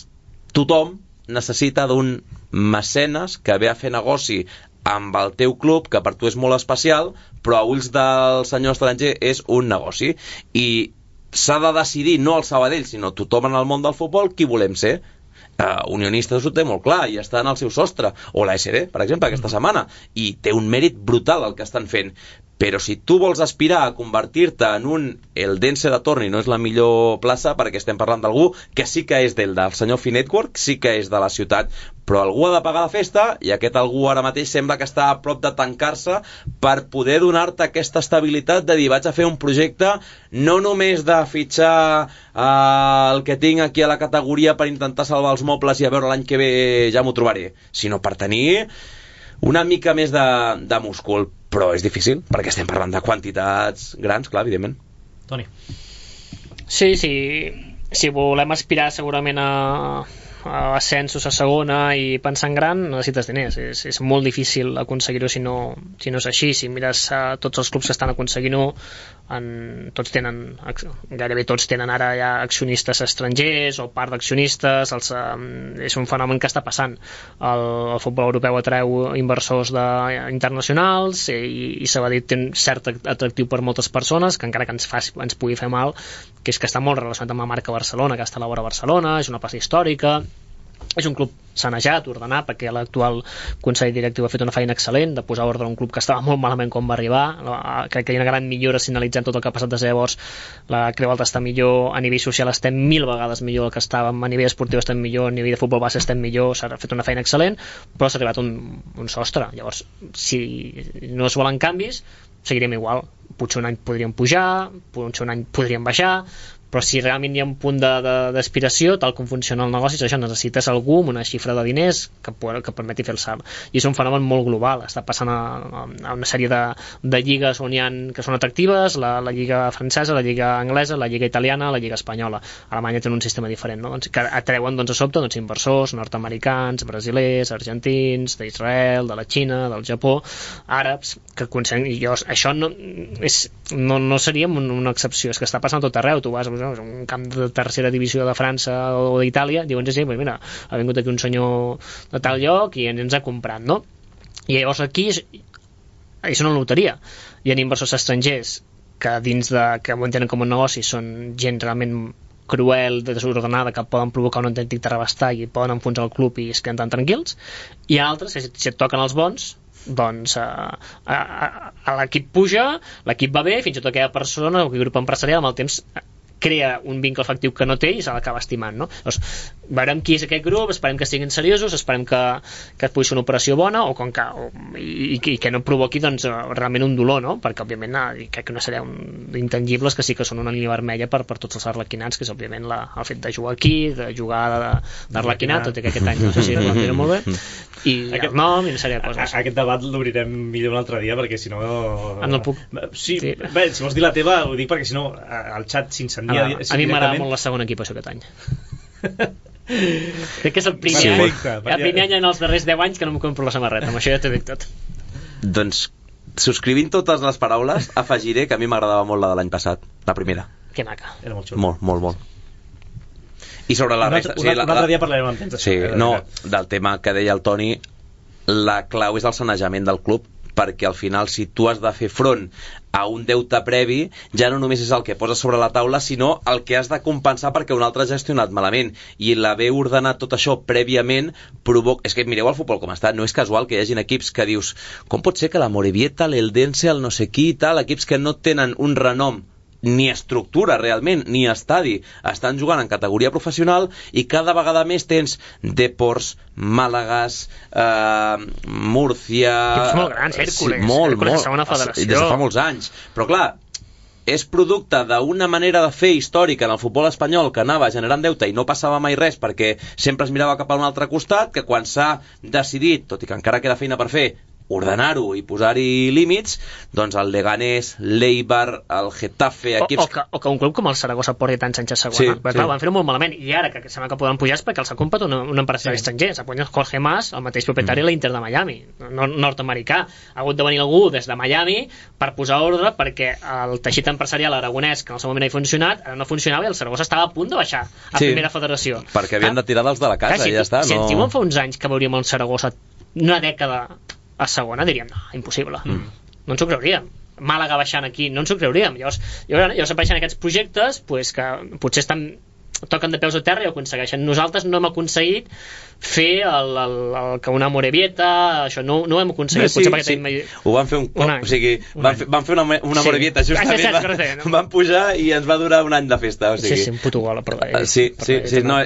tothom necessita d'un mecenes que ve a fer negoci amb el teu club, que per tu és molt especial, però a ulls del senyor estranger és un negoci. I s'ha de decidir, no el Sabadell, sinó tothom en el món del futbol, qui volem ser. Uh, Unionistes ho té molt clar i està en el seu sostre, o la S D, per exemple, aquesta setmana, i té un mèrit brutal el que estan fent. Però si tu vols aspirar a convertir-te en un Eldense de Torni, no és la millor plaça, perquè estem parlant d'algú que sí que és del, del senyor Finetwork, sí que és de la ciutat, però algú ha de pagar la festa, i aquest algú ara mateix sembla que està a prop de tancar-se per poder donar-te aquesta estabilitat de dir, vaig a fer un projecte no només de fitxar eh, el que tinc aquí a la categoria per intentar salvar els mobles i a veure l'any que ve ja m'ho trobaré, sinó per tenir una mica més de, de múscul. Però és difícil, perquè estem parlant de quantitats grans, clar, evidentment. Toni. Sí, sí, si volem aspirar segurament a, a ascensos a segona i pensar en gran, necessites diners. És, és molt difícil aconseguir-ho si no, si no és així. Si mires a tots els clubs que estan aconseguint-ho, en, tots tenen, gairebé tots tenen ara ja accionistes estrangers o part d'accionistes. Els, um, és un fenomen que està passant. El, el futbol europeu atreu inversors de, internacionals i, i Sabadell té un cert atractiu per moltes persones, que encara que ens, faci, ens pugui fer mal, que és que està molt relacionat amb la marca Barcelona, que està a la vora Barcelona, és una plaça històrica, és un club sanejat, ordenat, perquè l'actual consell directiu ha fet una feina excel·lent de posar ordre a un club que estava molt malament quan va arribar. Crec que hi ha una gran millora signalitzant tot el que ha passat des de llavors. La Creu Alta està millor, a nivell social estem mil vegades millor del que estàvem, a nivell esportiu estem millor, a nivell de futbol base estem millor, s'ha fet una feina excel·lent, però s'ha arribat un, un sostre. Llavors, si no es volen canvis, seguirem igual. Potser un any podríem pujar, potser un any podríem baixar, però si realment hi ha un punt d'aspiració, tal com funciona el negoci, això necessites algú amb una xifra de diners que, que permeti fer el salt. I és un fenomen molt global, està passant a, a una sèrie de, de lligues on hi ha, que són atractives, la, la lliga francesa, la lliga anglesa, la lliga italiana, la lliga espanyola. Alemanya té un sistema diferent, no? Doncs, que atreuen doncs, a sobte doncs, inversors nord-americans, brasilers, argentins, d'Israel, de la Xina, del Japó, àrabs, que aconsegueixen, i jo, això no, és, no, no seria una excepció, és que està passant tot arreu. Tu vas a un camp de tercera divisió de França o d'Itàlia, diuen, sí, pues mira, ha vingut aquí un senyor de tal lloc i ens, ens ha comprat, no? I llavors aquí és, és una loteria. Hi ha inversors estrangers que dins de, que ho entenen com un negoci, són gent realment cruel, desordenada, que poden provocar un autèntic terrabastall i poden enfonsar el club i es queden tan tranquils, i altres, si et toquen els bons, doncs a, a, a l'equip puja, l'equip va bé, fins i tot aquella persona o aquell grup empresarial amb el temps crea un vincle afectiu que no té i se l'acaba estimant, no? Doncs veurem qui és aquest grup, esperem que siguin seriosos, esperem que, que pugui ser una operació bona o, com que, o i, i que no provoqui doncs, realment un dolor, no? Perquè òbviament crec que no serà un intangibles que sí que són una línia vermella per, per tots els arlequinats, que és òbviament la, el fet de jugar aquí, de jugar d'arlequinat, tot i que aquest any no sé si ho entenen molt bé, i aquest, el nom i una sèrie de coses. Aquest debat l'obrirem millor un altre dia, perquè si no... Ah, no puc... Sí, sí. Bé, si vols dir la teva, ho dic perquè si no el xat s'incendia. A, a mi m'agrada molt la segona equipació aquest any. Crec que és el primer, sí. any, el primer any en els darrers deu anys que no em compro la samarreta, amb això ja t'ho dic tot. Doncs, subscrivint totes les paraules, afegiré que a mi m'agradava molt la de l'any passat, la primera. Que maca. Era molt xulo. Molt, molt, molt. I sobre la resta... Un, sí, un altre dia parlarem amb temps. Sí, no, del tema que deia el Toni, la clau és el sanejament del club, perquè al final si tu has de fer front a un deute previ, ja no només és el que poses sobre la taula, sinó el que has de compensar perquè un altre ha gestionat malament, i l'haver ordenat tot això prèviament provoca... És que mireu el futbol com està, no és casual que hi hagin equips que dius, com pot ser que la Morevieta, l'Eldense, el no sé qui i tal, equips que no tenen un renom ni estructura realment, ni estadi, estan jugant en categoria professional, i cada vegada més tens Deports, Màlagas, eh, Múrcia... Equips molt grans, Hèrcules, sí, molt, Hèrcules molt, de segona federació. Des de fa molts anys. Però clar, és producte d'una manera de fer històrica en el futbol espanyol que anava generant deute i no passava mai res perquè sempre es mirava cap a un altre costat, que quan s'ha decidit, tot i que encara queda feina per fer, ordenar-ho i posar-hi límits, doncs el Leganés, l'Eibar, el Getafe, equips... O, o, que, o que un club com el Saragossa porti tant Sánchez segona. Sí, perquè, sí. clar, van fer-ho molt malament, i ara que sembla que poden pujar és perquè els ha comprat un, un empresari sí. estranger. S'ha guanyat Jorge Mas, el mateix propietari de mm. l'Inter de Miami, no, nord-americà. Ha hagut de venir algú des de Miami per posar ordre, perquè el teixit empresarial aragonès, que en el seu moment ha funcionat, ara no funcionava i el Saragossa estava a punt de baixar a sí, primera federació. Perquè havien de tirar dels de la casa, clar, si, i ja està. Si no... ens diuen fa uns anys que veuríem el Saragossa una dècada a segona, diríem, no, impossible. Mm. No ens ho creuríem. Màlaga baixant aquí, no ens ho creuríem. Llavors, llavors apareixen aquests projectes pues, que potser estan, toquen de peus a terra i ho aconsegueixen. Nosaltres no hem aconseguit fer el, el, el que una Morevieta, això no, no ho hem aconseguit. No, sí, potser perquè sí. tenim... Ho van fer un cop, o sigui, van fer, van fer una, una sí. Morevieta justament, sí, sí, sí, no? van pujar i ens va durar un any de festa. O sigui. Sí, sí, un puto gol, però... Uh, sí, per sí, sí, no,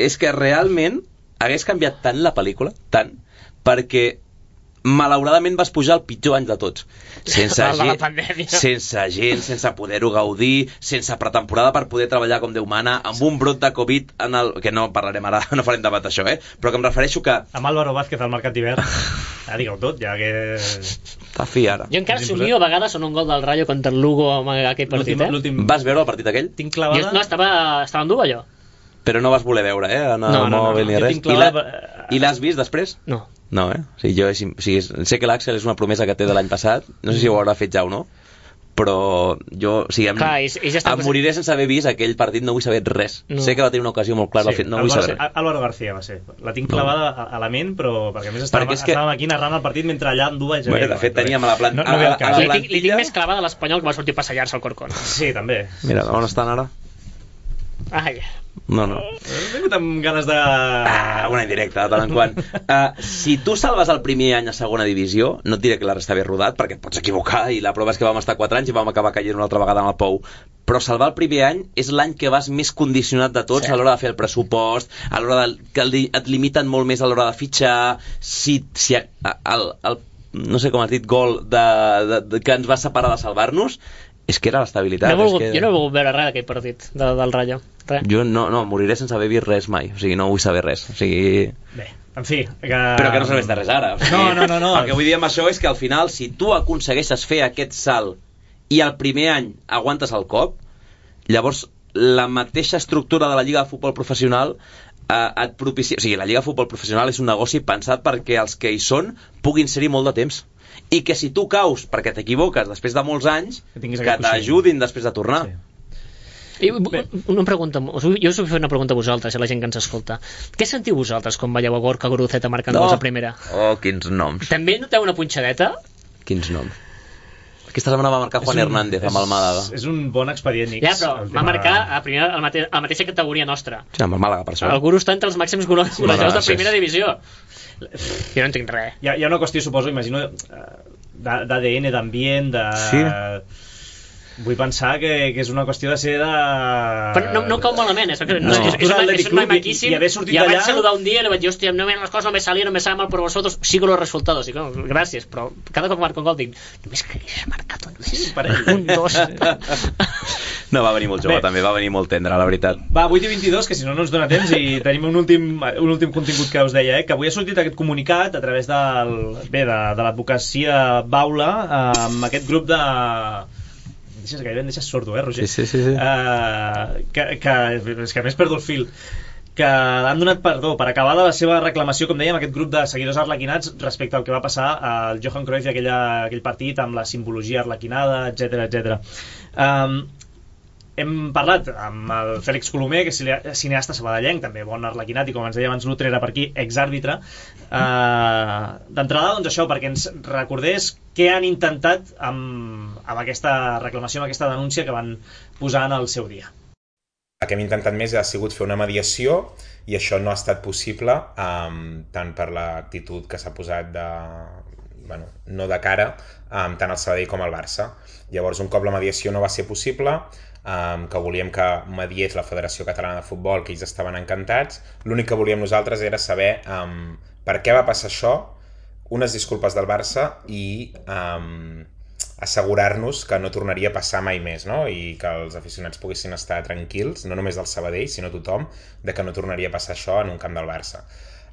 és que realment hagués canviat tant la pel·lícula, tant, perquè malauradament vas pujar el pitjor any de tots, sense gent, sense gent, sense poder-ho gaudir, sense pretemporada per poder treballar com Déu mana, amb un brot de Covid en el... que no parlarem ara, no farem debat d'això, eh? Però que em refereixo que... Amb Álvaro Vázquez al mercat d'hivern, ja digueu tot, ja que... Està fi ara. Jo encara somio a vegades en un gol del Rayo contra el Lugo amb aquell partit, eh? Vas veure el partit aquell? Tinc clavada... Jo, no, estava, estava en dur, allò. Però no vas voler veure, eh? En el no, no, mòbil no, no. ni res. I, la... I l'has vist després? No. No, eh? O sigui, jo, o sigui, sé que l'Àxel és una promesa que té de l'any passat, no sé si ho haurà fet ja o no, però jo, o sigui, em, Clar, i, i ja em moriré sense haver vist aquell partit, no vull saber res. No. Sé que va tenir una ocasió molt clara, sí, no vull saber res. Álvaro García va ser. La tinc clavada no. a la ment, però perquè a més estàvem, que... estàvem aquí narrant el partit mentre allà en dues... Bueno, de fet, teníem a la planta... No, no li, tinc, li tinc més clavada a l'Espanyol que va sortir a passejar-se al Corcón. Sí, també. Mira, on estan ara? Ai, No, no. He vingut amb ganes de... Ah, una indirecta, de tant en quant. Uh, si tu salves el primer any a segona divisió, no et diré que la resta ve rodat, perquè et pots equivocar, i la prova és que vam estar quatre anys i vam acabar caient una altra vegada en el pou. Però salvar el primer any és l'any que vas més condicionat de tots, sí, a l'hora de fer el pressupost, a l'hora de, que et limiten molt més a l'hora de fitxar, si, si el, el, el, no sé com has dit, gol de, de, de, que ens va separar de salvar-nos, és que era l'estabilitat. No volgut, que... Jo no he volgut veure res d'aquell partit de, del Rayo. Res. Jo no, no, moriré sense haver vist res mai. O sigui, no vull saber res. O sigui... Bé, en fi... Que... Però que no serveix de res ara. O sigui, no, no, no, no. El que vull dir amb això és que al final, si tu aconsegueixes fer aquest salt i el primer any aguantes el cop, llavors la mateixa estructura de la Lliga de Futbol Professional eh, et propicia... O sigui, la Lliga de Futbol Professional és un negoci pensat perquè els que hi són puguin ser-hi molt de temps. I que si tu caus perquè t'equivoques després de molts anys, que, que t'ajudin després de tornar. Sí. I una pregunta, jo us vull fer una pregunta a vosaltres, a la gent que ens escolta. Què sentiu vosaltres quan veieu a Gorka Guruceta marcant gols a primera? Oh, quins noms. També noteu una punxadeta? Quins noms. Aquesta setmana va marcar Juan un, Hernández amb el Màlaga. És un bon expedient, Nix. Ja, però va marcar a, primera, a, la mate, a la mateixa categoria nostra. Sí, amb el Màlaga, per això. El Guru està entre els màxims golejadors de primera divisió. Jo no entenc res. Hi ha, hi ha una qüestió, suposo, imagino, d'A D N, d'ambient, de... Sí. Vull pensar que, que és una qüestió de ser de... Però no, no cau malament, és, no. és, és, és, una, és un noi maquíssim, i, i, i vaig saludar un dia i li vaig dir, hòstia, no, les coses no me salien, no me salen mal per vosotros, sigo los resultados. I, no, gràcies, però cada cop marco un gol dic, només que hagués marcat un més. Un, dos... No, va venir molt jove, bé, també, va venir molt tendre, la veritat. Va, vuit i vint-i-dos, que si no no ens dona temps, i tenim un últim, un últim contingut que us deia, eh, que avui ha sortit aquest comunicat a través del, bé, de, de l'advocacia Baula, amb aquest grup de... Deixes, gairebé em deixes sordo, eh, Roger? Sí, sí, sí, sí. Uh, que, que, és que a més perdo el fil. Que han donat perdó per acabar la seva reclamació, com dèiem, aquest grup de seguidors arlequinats respecte al que va passar al Johan Cruyff i aquella, aquell partit amb la simbologia arlequinada, etcètera, etcètera. Um, hem parlat amb el Fèlix Colomer, que és cineasta sabadellenc, també bon arlequinat, i com ens deia abans l'Utrera per aquí, exàrbitre. Uh, D'entrada, doncs això, perquè ens recordés què han intentat amb, amb aquesta reclamació, amb aquesta denúncia que van posar en el seu dia. El que hem intentat més ha sigut fer una mediació, i això no ha estat possible, um, tant per l'actitud que s'ha posat de... Bueno, no de cara, um, tant al Sabadell com al Barça. Llavors, un cop la mediació no va ser possible, um, que volíem que mediés la Federació Catalana de Futbol, que ells estaven encantats, l'únic que volíem nosaltres era saber um, per què va passar això, unes disculpes del Barça i um, assegurar-nos que no tornaria a passar mai més, no? I que els aficionats poguessin estar tranquils, no només del Sabadell, sinó tothom, de que no tornaria a passar això en un camp del Barça.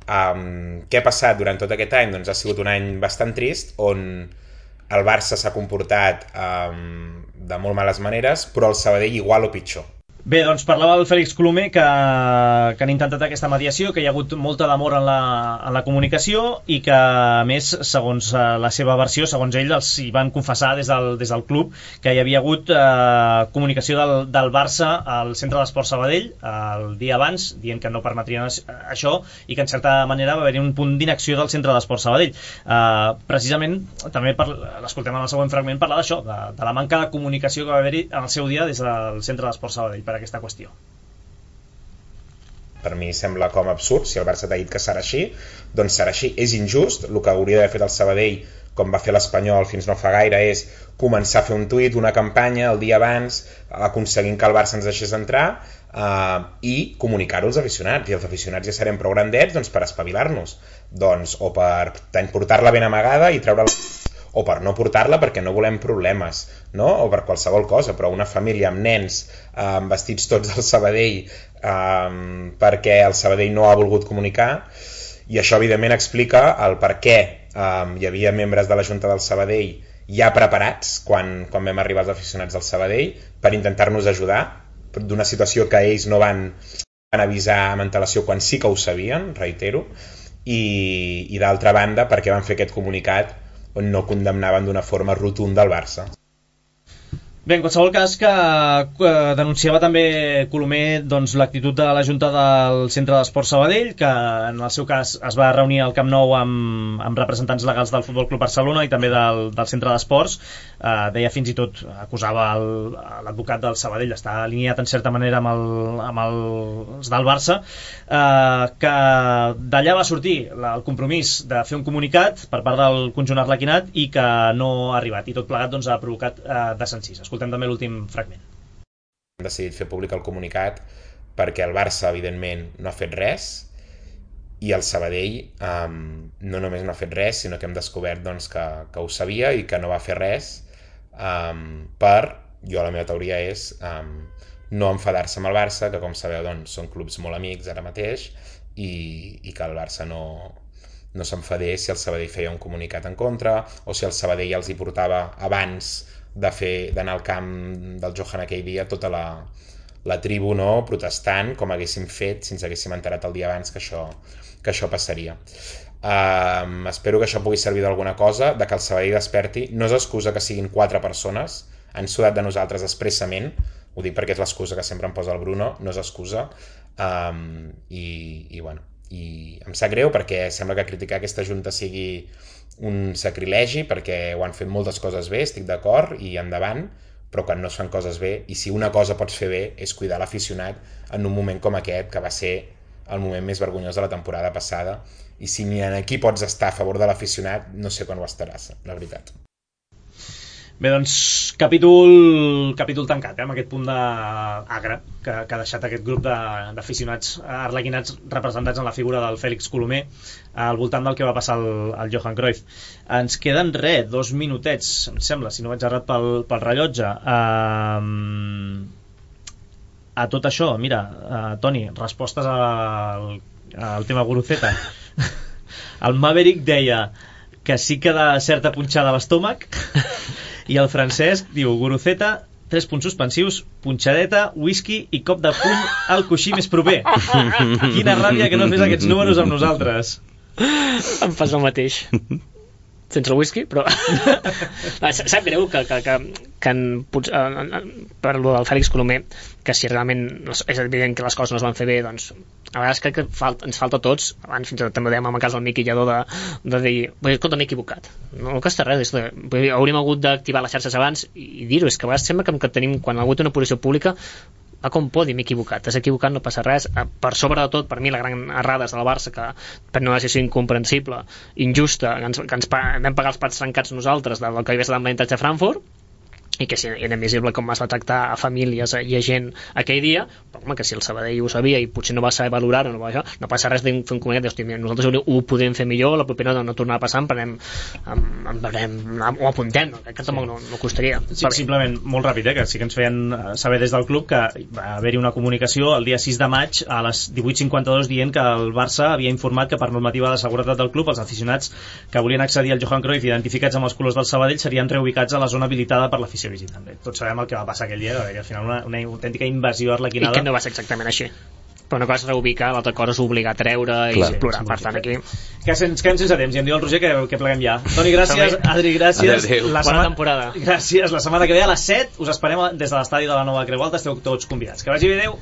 Um, què ha passat durant tot aquest any? Doncs ha sigut un any bastant trist, on el Barça s'ha comportat um, de molt males maneres, però el Sabadell igual o pitjor. Bé, doncs parlava el Fèlix Colomer que, que han intentat aquesta mediació, que hi ha hagut molta demora en la, en la comunicació i que, a més, segons la seva versió, segons ell, els hi van confessar des del, des del club que hi havia hagut eh, comunicació del, del Barça al Centre d'Esport Sabadell el dia abans, dient que no permetrien això i que, en certa manera, va haver-hi un punt d'inacció del Centre d'Esport Sabadell. Eh, precisament, també l'escoltem en el següent fragment, parlar d'això, de, de la manca de comunicació que va haver-hi en el seu dia des del Centre d'Esport Sabadell per aquesta qüestió. Per mi sembla com absurd. Si el Barça t'ha dit que serà així, doncs serà així. És injust. El que hauria d'haver fet el Sabadell, com va fer l'Espanyol fins no fa gaire, és començar a fer un tuit, una campanya el dia abans, aconseguint que el Barça ens deixés entrar eh, i comunicar-ho als aficionats. I els aficionats ja serem prou grandets, doncs, per espavilar-nos, doncs, o per portar-la ben amagada i treure-la, o per no portar-la perquè no volem problemes, no? O per qualsevol cosa, però una família amb nens eh, vestits tots del Sabadell eh, perquè el Sabadell no ha volgut comunicar, i això evidentment explica el per què eh, hi havia membres de la Junta del Sabadell ja preparats quan, quan vam arribar els aficionats del Sabadell per intentar-nos ajudar d'una situació que ells no van, van avisar amb antelació quan sí que ho sabien, reitero, i, i d'altra banda perquè van fer aquest comunicat on no condemnaven d'una forma rotunda el Barça. Bé, en qualsevol cas que eh, denunciava també Colomer doncs, l'actitud de la Junta del Centre d'Esports Sabadell, que en el seu cas es va reunir al Camp Nou amb, amb representants legals del Futbol Club Barcelona i també del, del Centre d'Esports. Eh, deia fins i tot, acusava el, l'advocat del Sabadell, està alineat en certa manera amb, el, amb el, els del Barça, eh, que d'allà va sortir la, el compromís de fer un comunicat per part del conjunt arlequinat i que no ha arribat, i tot plegat doncs, ha provocat eh, desencís. Escoltem també l'últim fragment. Hem decidit fer públic el comunicat perquè el Barça, evidentment, no ha fet res i el Sabadell um, no només no ha fet res, sinó que hem descobert doncs, que, que ho sabia i que no va fer res um, per, jo la meva teoria és um, no enfadar-se amb el Barça, que com sabeu doncs, són clubs molt amics ara mateix i, i que el Barça no, no s'enfadés si el Sabadell feia un comunicat en contra o si el Sabadell els hi portava abans de fer d'anar al camp del Johan aquell dia tota la, la tribu no, protestant com haguéssim fet si ens haguéssim enterat el dia abans que això, que això passaria. Um, espero que això pugui servir d'alguna cosa, de que el Sabadell desperti. No és excusa que siguin quatre persones, han sudat de nosaltres expressament, ho dic perquè és l'excusa que sempre em posa el Bruno, no és excusa, um, i, i bueno, i em sap greu perquè sembla que criticar aquesta junta sigui un sacrilegi, perquè ho han fet moltes coses bé, estic d'acord, i endavant, però quan no es fan coses bé, i si una cosa pots fer bé és cuidar l'aficionat en un moment com aquest, que va ser el moment més vergonyós de la temporada passada, i si ni aquí pots estar a favor de l'aficionat, no sé quan ho estaràs, la veritat. Bé, doncs, capítol, capítol tancat, eh, amb aquest punt d'agre que, que ha deixat aquest grup d'aficionats arlequinats representats en la figura del Fèlix Colomer al voltant del que va passar al, al Johan Cruyff. Ens queden res, dos minutets, em sembla, si no vaig errat pel, pel rellotge. Um, a tot això, mira, uh, Toni, respostes al, al tema Guruceta. El Maverick deia que sí que da certa punxada a l'estómac i el Francesc diu Guruceta, tres punts suspensius, punxadeta, whisky i cop de puny al coixí més proper. Quina ràbia que no fes aquests números amb nosaltres. Em fas el mateix. Sense el whisky, però... Sap greu que, que, que, que en, en, per lo del Fèlix Colomer, que si realment és evident que les coses no es van fer bé, doncs a vegades crec que falta, ens falta a tots, abans fins i tot també ho dèiem en el cas del Miqui Lladó, de, de dir, escolta, m'he equivocat, no costa res, és de, hauríem hagut d'activar les xarxes abans i dir-ho, és que a vegades sembla que, que tenim, quan ha hagut una posició pública, va com podi, m'he equivocat, t'has equivocat, no passa res. Per sobre de tot, per mi la gran errada és del Barça, que per una decisió incomprensible, injusta, que ens, que ens vam pagar els plats trencats nosaltres del que havia estat amb l'avantatge a Frankfurt, i que era invisible com es va tractar a famílies i a gent aquell dia, però home, que si el Sabadell ho sabia i potser no va saber valorar-ho, no, no passa res de fer un comunicat, hosti, nosaltres ho podem fer millor, la propera no, no tornarà a passar, emprenem, em, em, ho apuntem, no? Que tampoc no, no costaria. Sí, simplement, molt ràpid, eh, que sí que ens feien saber des del club que va haver-hi una comunicació el dia sis de maig a les divuit cinquanta-dos dient que el Barça havia informat que per normativa de seguretat del club els aficionats que volien accedir al Johan Cruyff identificats amb els colors del Sabadell serien reubicats a la zona habilitada per l'afició visitant. Bé, tots sabem el que va passar aquell dia, que al final una, una autèntica invasió arlequinada. I que no va ser exactament així. Però una cosa és reubicar, l'altra cosa és obligar a treure i Clar, explorar. Per tant, aquí... Que ens quedem sense temps, i em diu el Roger que, que pleguem ja. Toni, gràcies. Adri, gràcies. La Bona temporada. Gràcies. La setmana que ve a les set us esperem des de l'estadi de la Nova Creu Alta. Esteu tots convidats. Que vagi bé, adeu.